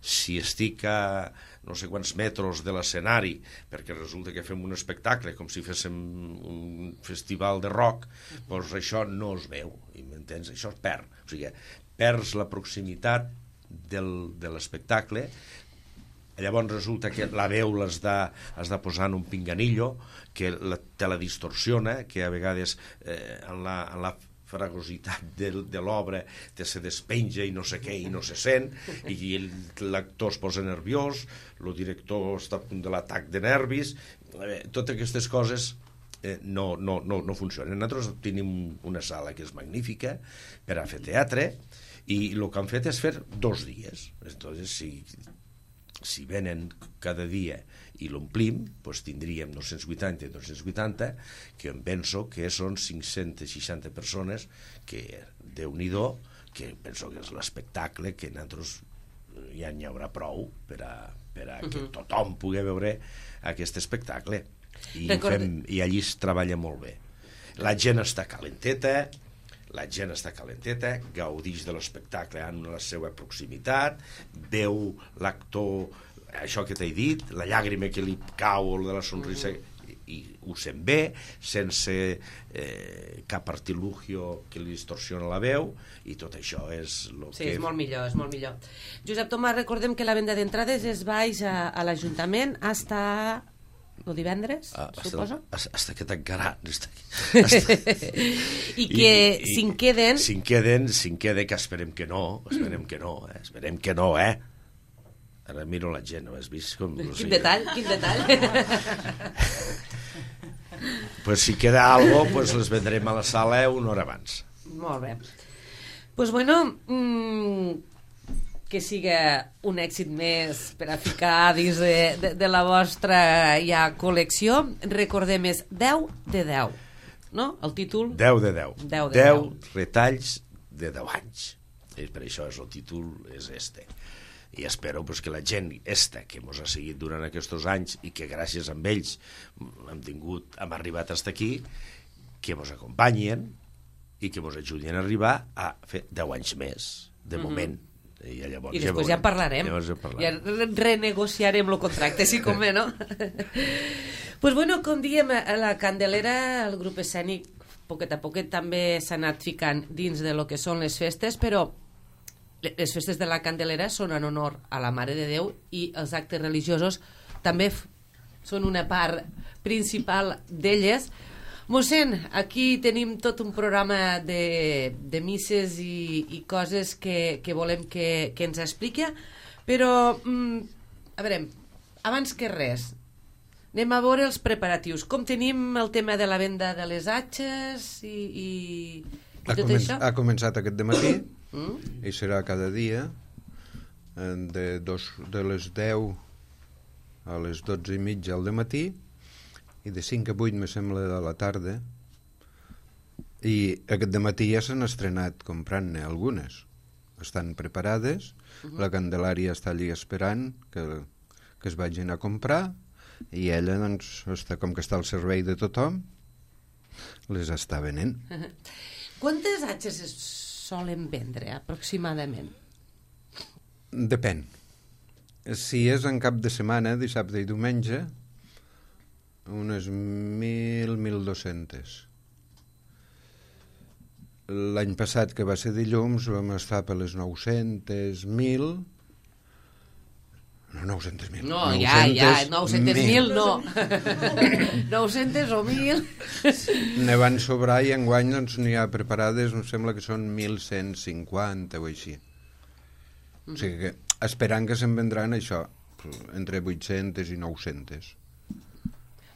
F: Si estic a no sé quants metres de l'escenari, perquè resulta que fem un espectacle com si féssim un festival de rock, doncs això no es veu, i m'entens? Això es perd. O sigui, perds la proximitat del, de l'espectacle, llavors resulta que la veu l'has de, has de posar en un pinganillo que la, te la distorsiona, que a vegades eh, en la, en la fragositat de, de l'obra te se despenja i no sé què i no se sent i l'actor es posa nerviós, el director està a punt de l'atac de nervis, totes aquestes coses eh, no, no, no, no funciona. Nosaltres tenim una sala que és magnífica per a fer teatre i el que han fet és fer dos dies. Entonces, si, si venen cada dia i l'omplim, doncs tindríem dos-cents vuitanta i dos-cents vuitanta, que em penso que són cinc-centes seixanta persones, que Déu-n'hi-do, que penso que és l'espectacle que nosaltres ja n'hi haurà prou per a, per a que tothom pugui veure aquest espectacle. I, fem, i allí es treballa molt bé. La gent està calenteta, la gent està calenteta, gaudix de l'espectacle en la seva proximitat, veu l'actor, això que t'he dit, la llàgrima que li cau o de la sonrisa, i, i ho sent bé, sense eh, cap artilugio que li distorsiona la veu, i tot això és el
A: sí,
F: que...
A: és molt millor, és molt millor. Josep Tomàs, recordem que la venda d'entrades es baix a, a l'Ajuntament hasta el divendres,
F: ah,
A: suposo?
F: Hasta, hasta que tancarà. Hasta,
A: hasta... I que si en queden...
F: Si en queden, si en queden, que esperem que no, esperem que no, eh? esperem que no, eh? Ara miro la gent, no has vist com...
A: Quin sí, detall, quin detall.
F: Pues si queda algo, pues les vendrem a la sala una hora abans.
A: Molt bé. Pues bueno, mmm, que siga un èxit més per a ficar dins de, de, de la vostra ja col·lecció. Recordem, és deu de deu, no? El títol?
F: deu de deu.
A: deu de deu.
F: deu retalls de deu anys. I per això és el títol, és este. I espero pues, que la gent esta que ens ha seguit durant aquests anys i que gràcies a ells hem tingut, hem arribat fins aquí, que ens acompanyen i que ens ajudin a arribar a fer deu anys més, de
A: Mm-hmm.
F: moment. I, llavors,
A: I després ja, ja en parlarem.
F: Ja, parlarem.
A: Ja renegociarem el contracte, si convé, no? Pues bueno, com diem, a la Candelera, el grup escènic, poquet a poquet també s'ha anat ficant dins de lo que són les festes, però les festes de la Candelera són en honor a la Mare de Déu i els actes religiosos també són una part principal d'elles. Mossèn, aquí tenim tot un programa de, de misses i, i coses que, que volem que, que ens expliqui, però mm, a veure, abans que res anem a veure els preparatius. Com tenim el tema de la venda de les atxes i, i, i
E: ha
A: tot
E: comen
A: això?
E: Ha començat aquest dematí
A: Mm?
E: i serà cada dia de, dos, de les deu a les dotze i mitja al dematí i de cinc a vuit me sembla de la tarda, i aquest dematí ja s'han estrenat comprant-ne algunes, estan preparades. Uh-huh. La Candelària està allí esperant que, que es vagin a comprar i ella doncs està, com que està al servei de tothom, les està venent.
A: Quantes atxes es solen vendre, aproximadament?
E: Depèn. Si és en cap de setmana, dissabte i diumenge, unes mil, mil dos-centes. L'any passat, que va ser dilluns, vam estar per les nou-centes mil... No, nou-centes mil.
A: No, ja, ja, nou-centes mil no. nou-centes o mil.
E: Ne van sobrar i enguany doncs, n'hi ha preparades, em sembla que són mil cent cinquanta o així. O sigui que esperant que se'n vendran això, entre vuit-centes i nou-centes.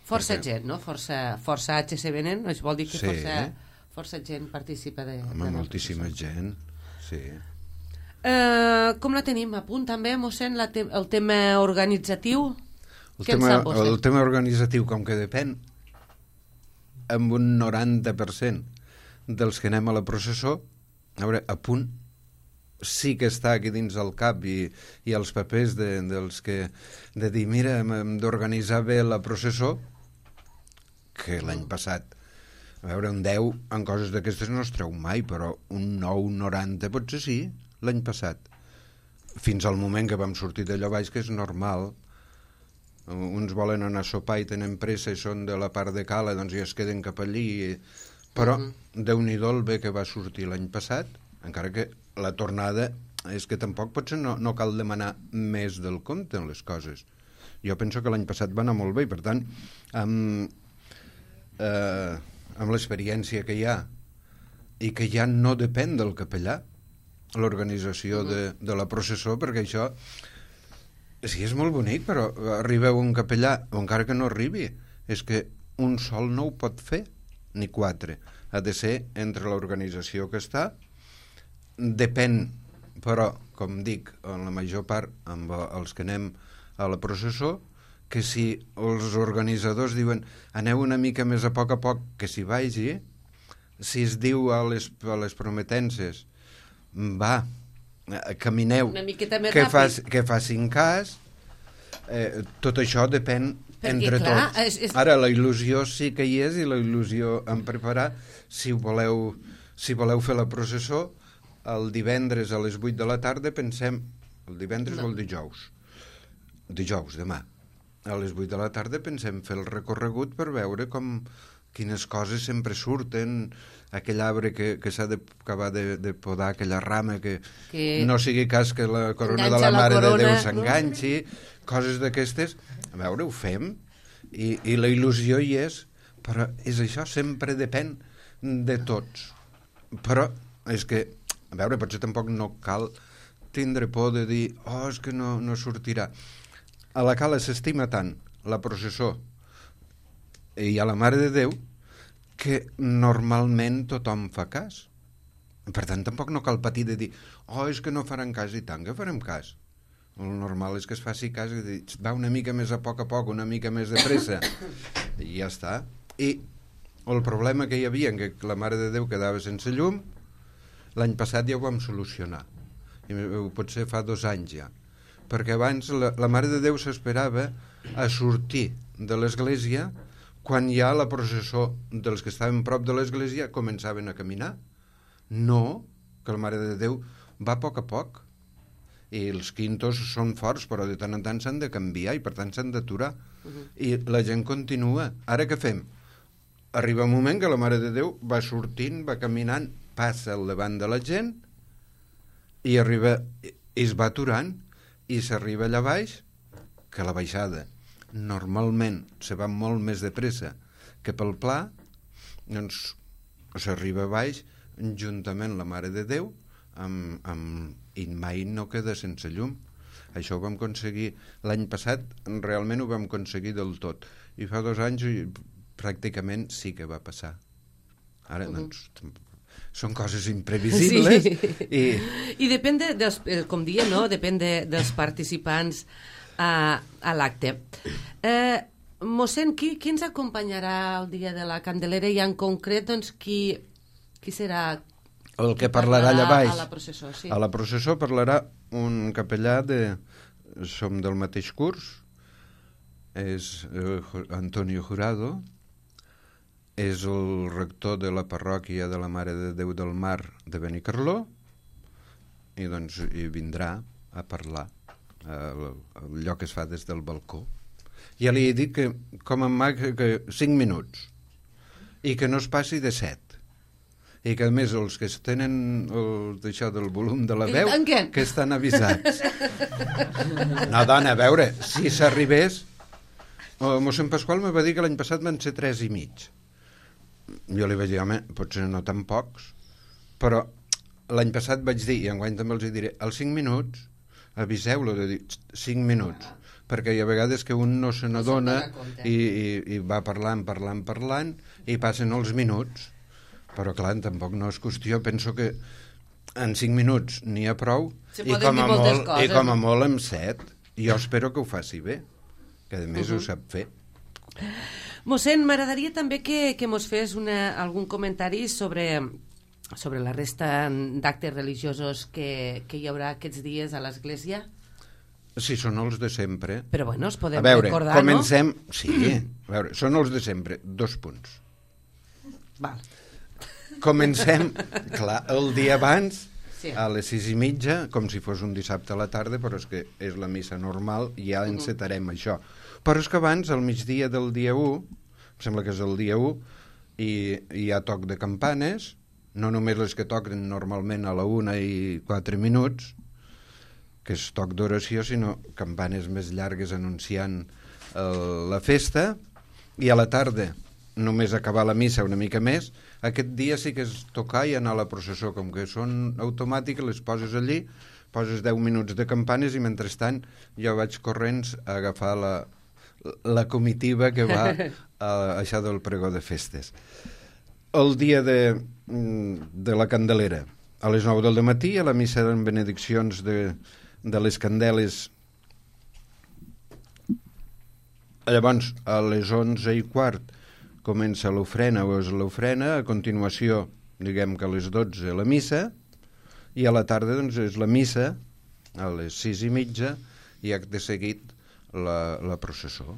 A: Força Perquè... gent, no? Força, força H se venen, això vol dir que
E: sí.
A: força, força gent participa de...
E: Home,
A: de
E: moltíssima gent, sí.
A: Uh, com la tenim a punt també, mossèn, la te el tema organitzatiu?
E: El tema, el tema organitzatiu, com que depèn amb un noranta per cent dels que anem a la processó, a veure, a punt sí que està aquí dins el cap i, i els papers de, dels que de dir, mira, hem d'organitzar bé la processó, que l'any passat a veure, un deu en coses d'aquestes no es treu mai, però un nou, noranta potser sí, l'any passat, fins al moment que vam sortir d'allò baix, que és normal. Uns volen anar a sopar i tenen pressa i són de la part de cala, doncs ja es queden cap allí, però uh -huh. Déu-n'hi-do el bé que va sortir l'any passat, encara que la tornada és que tampoc potser no, no cal demanar més del compte en les coses. Jo penso que l'any passat va anar molt bé i per tant amb, eh, amb l'experiència que hi ha i que ja no depèn del capellà l'organització de, de la processó, perquè això sí, és molt bonic, però arriba un capellà, o encara que no arribi, és que un sol no ho pot fer, ni quatre. Ha de ser entre l'organització que està. Depèn, però, com dic, en la major part, amb els que anem a la processó, que si els organitzadors diuen aneu una mica més a poc a poc, que s'hi vagi, si es diu a les, a les prometences, va, camineu,
A: una miqueta més
E: que,
A: ràpid.
E: fas, que facin cas, eh, tot això depèn
A: Perquè,
E: entre
A: clar,
E: tots.
A: és- és-
E: Ara, la il·lusió sí que hi és, i la il·lusió en preparar, si voleu, si voleu fer la processó, el divendres a les vuit de la tarda pensem, el divendres
A: No.
E: o el dijous? Dijous, demà. A les vuit de la tarda pensem fer el recorregut per veure com quines coses sempre surten, aquell arbre que, que s'ha d'acabar de, de podar, aquella rama que,
A: Que
E: no sigui cas que la corona de
A: enganxa
E: la
A: la
E: Mare
A: corona,
E: de Déu
A: no?
E: s'enganxi, coses d'aquestes. A veure, ho fem, i, i la il·lusió hi és, però és això, sempre depèn de tots. Però és que, a veure, potser tampoc no cal tindre por de dir oh, és que no, no sortirà. A la Cala s'estima tant la processó i a la Mare de Déu que normalment tothom fa cas. Per tant, tampoc no cal patir de dir oh, és que no faran cas, i tant que farem cas. El normal és que es faci cas i dir, va una mica més a poc a poc, una mica més de pressa, i ja està. I el problema que hi havia, que la Mare de Déu quedava sense llum, l'any passat ja ho vam solucionar. I potser fa dos anys ja. Perquè abans la, la Mare de Déu s'esperava a sortir de l'església quan ja la processó dels que estaven prop de l'església començaven a caminar. No, que la Mare de Déu va a poc a poc. I els quintos són forts, però de tant en tant s'han de canviar i per tant s'han d'aturar. Uh-huh. I la gent continua. Ara què fem? Arriba un moment que la Mare de Déu va sortint, va caminant, passa al davant de la gent i arriba, i es va aturant, i s'arriba allà baix, que la baixada normalment se va molt més de pressa que pel pla, doncs s'arriba a baix juntament la Mare de Déu amb, amb, i mai no queda sense llum. Això ho vam aconseguir l'any passat, realment ho vam aconseguir del tot, i fa dos anys pràcticament sí que va passar. Ara, uh-huh. doncs, són coses imprevisibles.
A: Sí.
E: I,
A: I depèn de, dels, com dia, no? Depèn de, dels participants a, a l'acte. Eh, mossèn, qui, qui ens acompanyarà el dia de la Candelera i en concret, doncs, qui, qui serà...
E: El que parlarà allà baix.
A: A la processó, sí.
E: A la processó parlarà un capellà de... Som del mateix curs, és eh, Antonio Jurado, és el rector de la parròquia de la Mare de Déu del Mar de Benicarló, i doncs hi vindrà a parlar al, al lloc que es fa des del balcó. Ja li he dit que, com en mag, que cinc minuts, i que no es passi de set. I que a més els que tenen el, això del volum de la veu que estan avisats. No, dona, a veure, si s'arribés, el mossèn Pasqual me va dir que l'any passat van ser tres i mig. Jo li vaig dir, home, potser no tan pocs, però l'any passat vaig dir, i enguany també els hi diré, als cinc minuts aviseu-lo de dir cinc minuts, perquè hi ha vegades que un no se n'adona i, i, i va parlant, parlant, parlant, i passen els minuts. Però clar, tampoc no és qüestió, penso que en cinc minuts n'hi ha prou, i com, a molt, coses, i com a molt en set. Jo espero que ho faci bé, que a més uh-huh. ho sap fer.
A: Mossèn, m'agradaria també que, que mos fes una, algun comentari sobre, sobre la resta d'actes religiosos que, que hi haurà aquests dies a l'església.
E: Sí, són els de sempre.
A: Però bueno, els podem
E: a veure,
A: recordar,
E: comencem...
A: no?
E: Sí, a veure, són els de sempre, dos punts.
A: Val.
E: Comencem, clar, el dia abans,
A: sí.
E: a les sis i mitja, com si fos un dissabte a la tarda, però és que és la missa normal, i ja encetarem uh-huh. això. Però és que abans, al migdia del dia u, em sembla que és el dia u, i hi ha toc de campanes, no només les que toquen normalment a la una i quatre minuts, que és toc d'oració, sinó campanes més llargues anunciant el, la festa, i a la tarda només acabar la missa una mica més. Aquest dia sí que és tocar i anar a la processó, com que són automàtiques, les poses allí, poses deu minuts de campanes i mentrestant jo vaig corrents a agafar la, la comitiva que va a això del pregó de festes. El dia de, de la Candelera, a les nou del matí, a la missa de benediccions de, de les candeles. Llavors, a les onze i quart comença l'ofrena o és l'ofrena, a continuació, diguem que a les dotze la missa, i a la tarda doncs, és la missa, a les sis i mitja, i acte seguit la, la processó.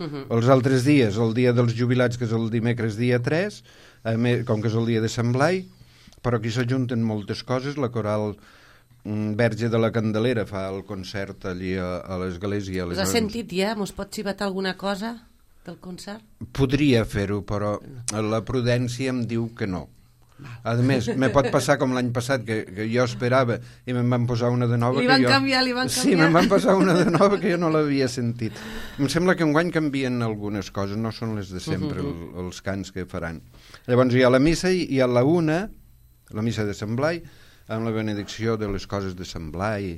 E: Uh-huh. Els altres dies, el dia dels jubilats, que és el dimecres dia tres, a més, com que és el dia de Sant Blai, però aquí s'ajunten moltes coses, la coral mm, Verge de la Candelera fa el concert allí a, a l'església.
A: Us has sentit ja? Mos pot xivatar alguna cosa del concert?
E: Podria fer-ho, però la prudència em diu que no. A més, me pot passar com l'any passat, que, que jo esperava i me'n van posar una de nova.
A: Li van
E: que jo...
A: canviar, li van canviar.
E: Sí, me'n van passar una de nova que jo no l'havia sentit. Em sembla que enguany canvien algunes coses, no són les de sempre, uh-huh. el, els cants que faran. Llavors hi ha la missa i a la una, la missa de Sant Blai, amb la benedicció de les coses de Sant Blai.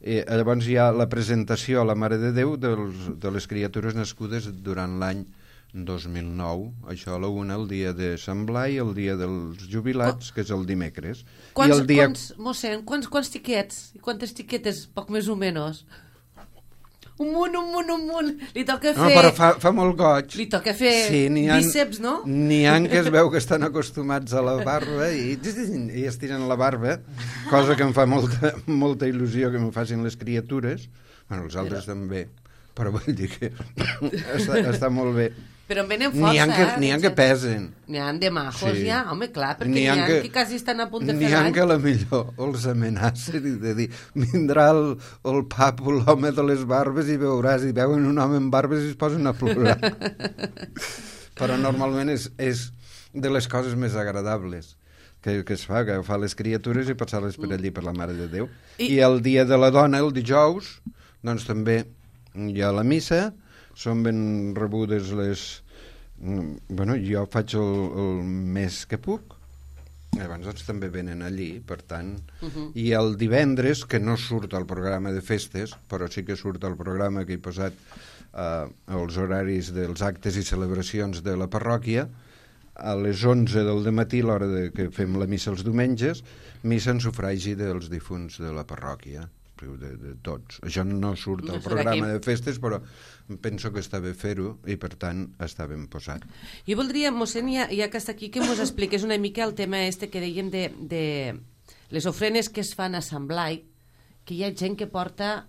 E: I llavors hi ha la presentació a la Mare de Déu dels, de les criatures nascudes durant l'any dos mil nou, això a la una, el dia de Sant Blai, el dia dels jubilats, que és el dimecres.
A: Quants,
E: I el dia...
A: quants, mossèn, quants, quants tiquets? Quantes tiquetes, poc més o menys? Un munt, un munt, un munt. Li toca fer...
E: No, però fa, fa molt goig.
A: Li toca fer
E: sí,
A: bíceps, no?
E: N'hi ha que es veu que estan acostumats a la barba i, i estiren la barba, cosa que em fa molta, molta il·lusió que m'ho facin les criatures. Bueno, els altres però... també, però vull dir que està, està molt bé.
A: Però en venen força,
E: n'hi ha que,
A: eh?
E: N'hi ha que pesen.
A: N'hi ha de majos,
E: sí.
A: ja, home, clar, perquè n'hi ha, ha que, que quasi estan a punt de fer l'any.
E: N'hi ha que a la millor els amenacen i de dir, vindrà el, el papo, l'home de les barbes, i veuràs, i veuen un home amb barbes i es posen a plorar. Però normalment és, és de les coses més agradables que, que es fa, que fa les criatures i passar-les per allí per la Mare de Déu. I, I el dia de la dona, el dijous, doncs també hi ha la missa, són ben rebudes les... Bueno, jo faig el, el més que puc, llavors doncs també venen allí, per tant... Uh-huh. I el divendres, que no surt al programa de festes, però sí que surt al programa que he posat eh, els horaris dels actes i celebracions de la parròquia, a les onze del dematí, l'hora de que fem la missa els diumenges, missa en sufragi dels difunts de la parròquia. De, de tots. Això no surt al no programa de festes, però penso que està bé fer-ho i, per tant, està ben posat.
A: Jo voldria, mossèn, ja, ja que està aquí, que mos expliqués una mica el tema este que dèiem de, de les ofrenes que es fan a Sant Blai, que hi ha gent que porta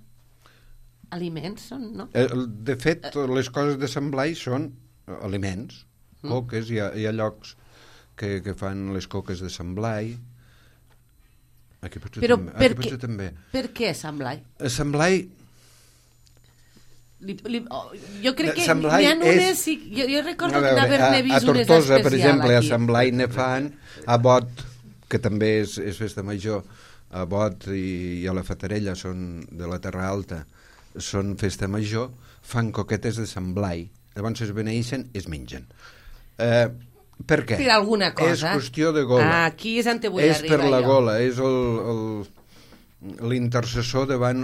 A: aliments, no?
E: De fet, les coses de Sant Blai són aliments, coques, hi ha, hi ha llocs que, que fan les coques de Sant Blai. Aquí potser,
A: però
E: també,
A: per,
E: aquí potser
A: què,
E: també.
A: Per què Sant Blai?
E: A Sant Blai...
A: Li, li, oh, jo crec que
E: n'hi
A: ha unes... Sí, jo, jo recordo
E: veure,
A: d'haver-ne vist
E: a, a Tortosa,
A: unes especial
E: per exemple,
A: aquí.
E: A Sant Blai ne fan, a Bot, que també és, és festa major, a Bot i, i a la Fatarella, són de la Terra Alta, són festa major, fan coquetes de Sant Blai. Llavors es beneeixen, es mengen. Eh... Per què?
A: Per alguna cosa.
E: És qüestió de gola.
A: Ah, aquí és on te vull
E: és
A: arribar
E: per la
A: jo.
E: gola, és l'intercessor davant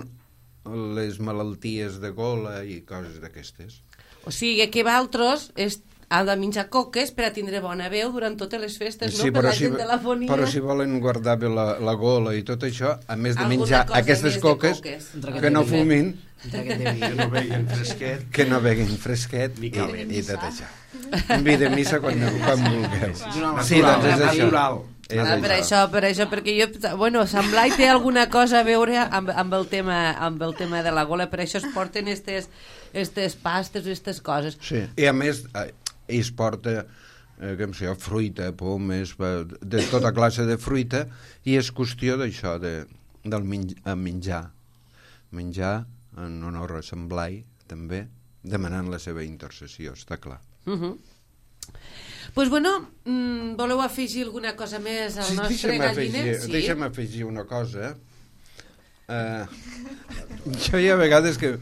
E: les malalties de gola i coses d'aquestes.
A: O sigui que vosaltres és, heu de menjar coques per a tindre bona veu durant totes les festes,
E: sí,
A: no? Per la
E: si,
A: gent de l'afonia.
E: Però si volen guardar bé la, la gola i tot això, a més de
A: alguna
E: menjar aquestes coques,
A: coques,
E: que no fumin,
F: que no beguin fresquet,
E: que no beguin fresquet i, i tot això. Un vi de missa quan, quan vulgueu. Sí, doncs és això. És
A: ah, per això, per això, perquè jo, bueno, Sant Blai té alguna cosa a veure amb, amb, el tema, amb el tema de la gola, per això es porten estes, estes pastes o aquestes coses.
E: Sí, i a més, es porta, eh, com sé, fruita, pomes, de tota classe de fruita, i és qüestió d'això, de, del menjar. Menjar en honor a Sant Blai, també, demanant la seva intercessió, està clar.
A: Uh -huh. Pues bueno, mm, voleu afegir alguna cosa més al
E: sí,
A: nostre galliner?
E: Afegir, sí, deixa'm afegir una cosa. Uh, jo hi ha vegades que uh,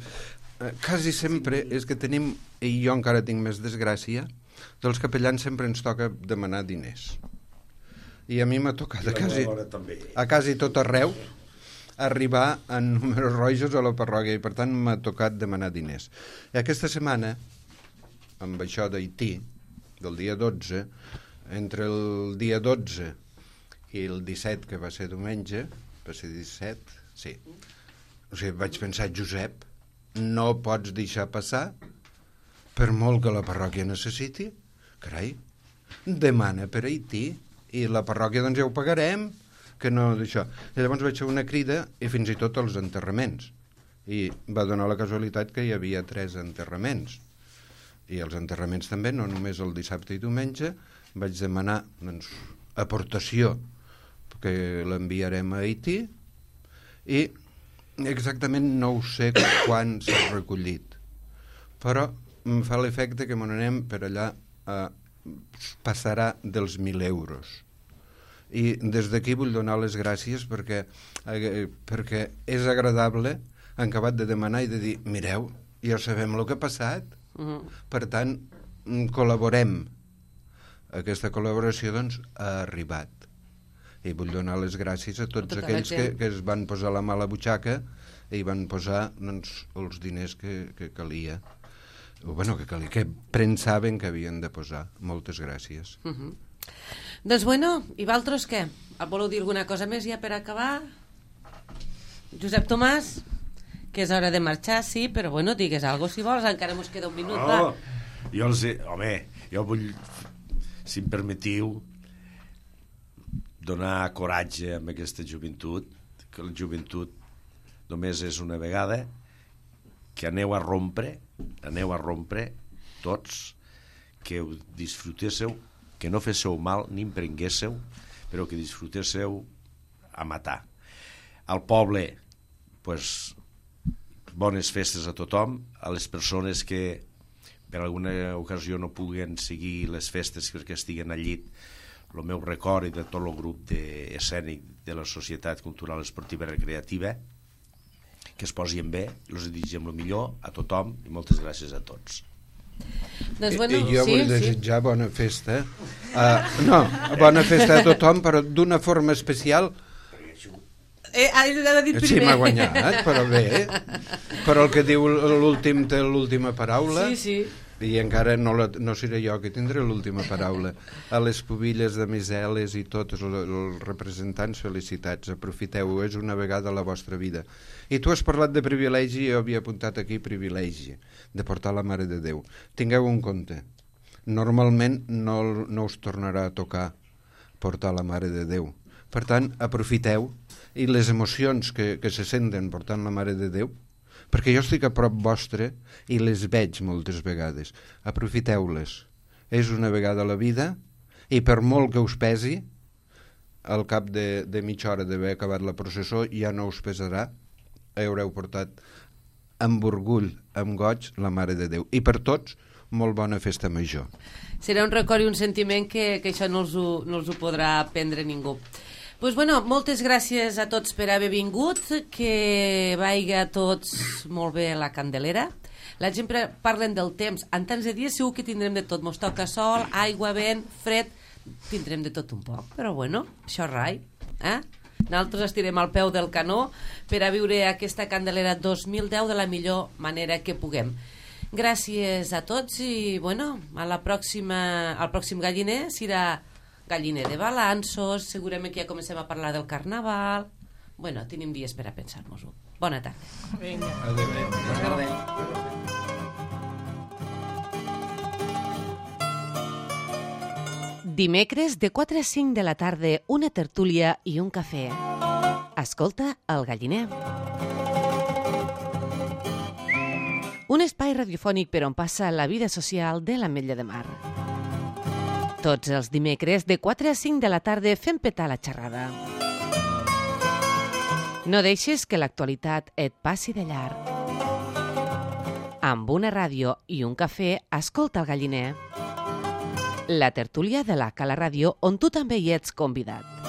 E: quasi sempre és que tenim, i jo encara tinc més desgràcia, dels capellans sempre ens toca demanar diners. I a mi m'ha tocat a quasi, a quasi tot arreu. arribar en números rojos a la parròquia i per tant m'ha tocat demanar diners. I aquesta setmana, amb això d'Haití, del dia dotze, entre el dia dotze i el disset, que va ser diumenge, va ser disset, sí. O sigui, vaig pensar, Josep, no pots deixar passar, per molt que la parròquia necessiti, carai, demana per Haití, i la parròquia doncs ja ho pagarem, que no d'això. I llavors vaig fer una crida i fins i tot els enterraments. I va donar la casualitat que hi havia tres enterraments. I els enterraments també, no només el dissabte i diumenge, vaig demanar doncs, aportació, que l'enviarem a Haití, i exactament no ho sé quan s'ha recollit. Però em fa l'efecte que me n'anem per allà, eh, passarà dels mil euros. I des d'aquí vull donar les gràcies perquè, eh, perquè és agradable en acabat de demanar i de dir, mireu, ja sabem el que ha passat, uh-huh. Per tant, col·laborem. Aquesta col·laboració, doncs, ha arribat. I vull donar les gràcies a tots tota aquells que, que es van posar la mà a la butxaca i van posar, doncs, els diners que, que calia. O, bueno, que calia, que pensaven que havien de posar. Moltes gràcies.
A: Uh-huh. Doncs bueno, i vosaltres què? Voleu dir alguna cosa més ja per acabar? Josep Tomàs, que és hora de marxar, sí, però bueno, digues alguna cosa si vols, encara mos queda un minut.
F: No, jo els he... Home, jo vull, si em permetiu, donar coratge amb aquesta joventut, que la joventut només és una vegada, que aneu a rompre, aneu a rompre tots, que ho disfrutéssiu, que no féssiu mal ni em prenguéssiu, però que disfrutéssiu a matar. Al poble, pues, bones festes a tothom, a les persones que per alguna ocasió no puguen seguir les festes perquè estiguen al llit, el meu record i de tot el grup de escènic de la Societat Cultural Esportiva Recreativa, que es posin bé, els desitgem el millor a tothom i moltes gràcies a tots.
A: Doncs, bueno,
E: I jo
A: sí,
E: vull desitjar sí. bona festa. Uh, no, bona festa a tothom, però d'una forma especial.
A: Eh, ha dit primer.
E: Sí, m'ha guanyat, però bé. Però el que diu l'últim té l'última paraula.
A: Sí, sí.
E: I encara no, la, no seré jo que tindré l'última paraula. A les pubilles de Miseles i tots els representants, felicitats, aprofiteu-ho, és una vegada a la vostra vida. I tu has parlat de privilegi, jo havia apuntat aquí privilegi, de portar la Mare de Déu. Tingueu un compte, normalment no, no us tornarà a tocar portar la Mare de Déu. Per tant, aprofiteu, i les emocions que, que se senten portant la Mare de Déu, perquè jo estic a prop vostre i les veig moltes vegades. Aprofiteu-les. És una vegada a la vida i per molt que us pesi, al cap de, de mitja hora d'haver acabat la processó ja no us pesarà, haureu portat amb orgull, amb goig, la Mare de Déu. I per tots, molt bona festa major.
A: Serà un record i un sentiment que, que això no els, ho, no els ho podrà prendre ningú. Pues bueno, moltes gràcies a tots per haver vingut, que vagi a tots molt bé la Candelera. La gent parlen del temps, en tants de dies segur que tindrem de tot, mos toca sol, aigua, vent, fred, tindrem de tot un poc, però bueno, això rai, eh? Nosaltres estirem al peu del canó per a viure aquesta Candelera dos mil deu de la millor manera que puguem. Gràcies a tots i bueno, a la pròxima, al pròxim galliner serà galliner de balanços, segurament que ja comencem a parlar del carnaval. Bueno, tenim dies per a pensar-nos-ho. Bona tarda.
G: Vinga.
E: Adéu.
H: Bona tarda.
A: Dimecres de quatre a cinc de la tarda, una tertúlia i un cafè. Escolta el galliner. Un espai radiofònic per on passa la vida social de l'Ametlla de Mar. Tots els dimecres de quatre a cinc de la tarda fem petar la xerrada. No deixes que l'actualitat et passi de llarg. Amb una ràdio i un cafè, escolta el galliner. La tertúlia de la Cala Ràdio, on tu també hi ets convidat.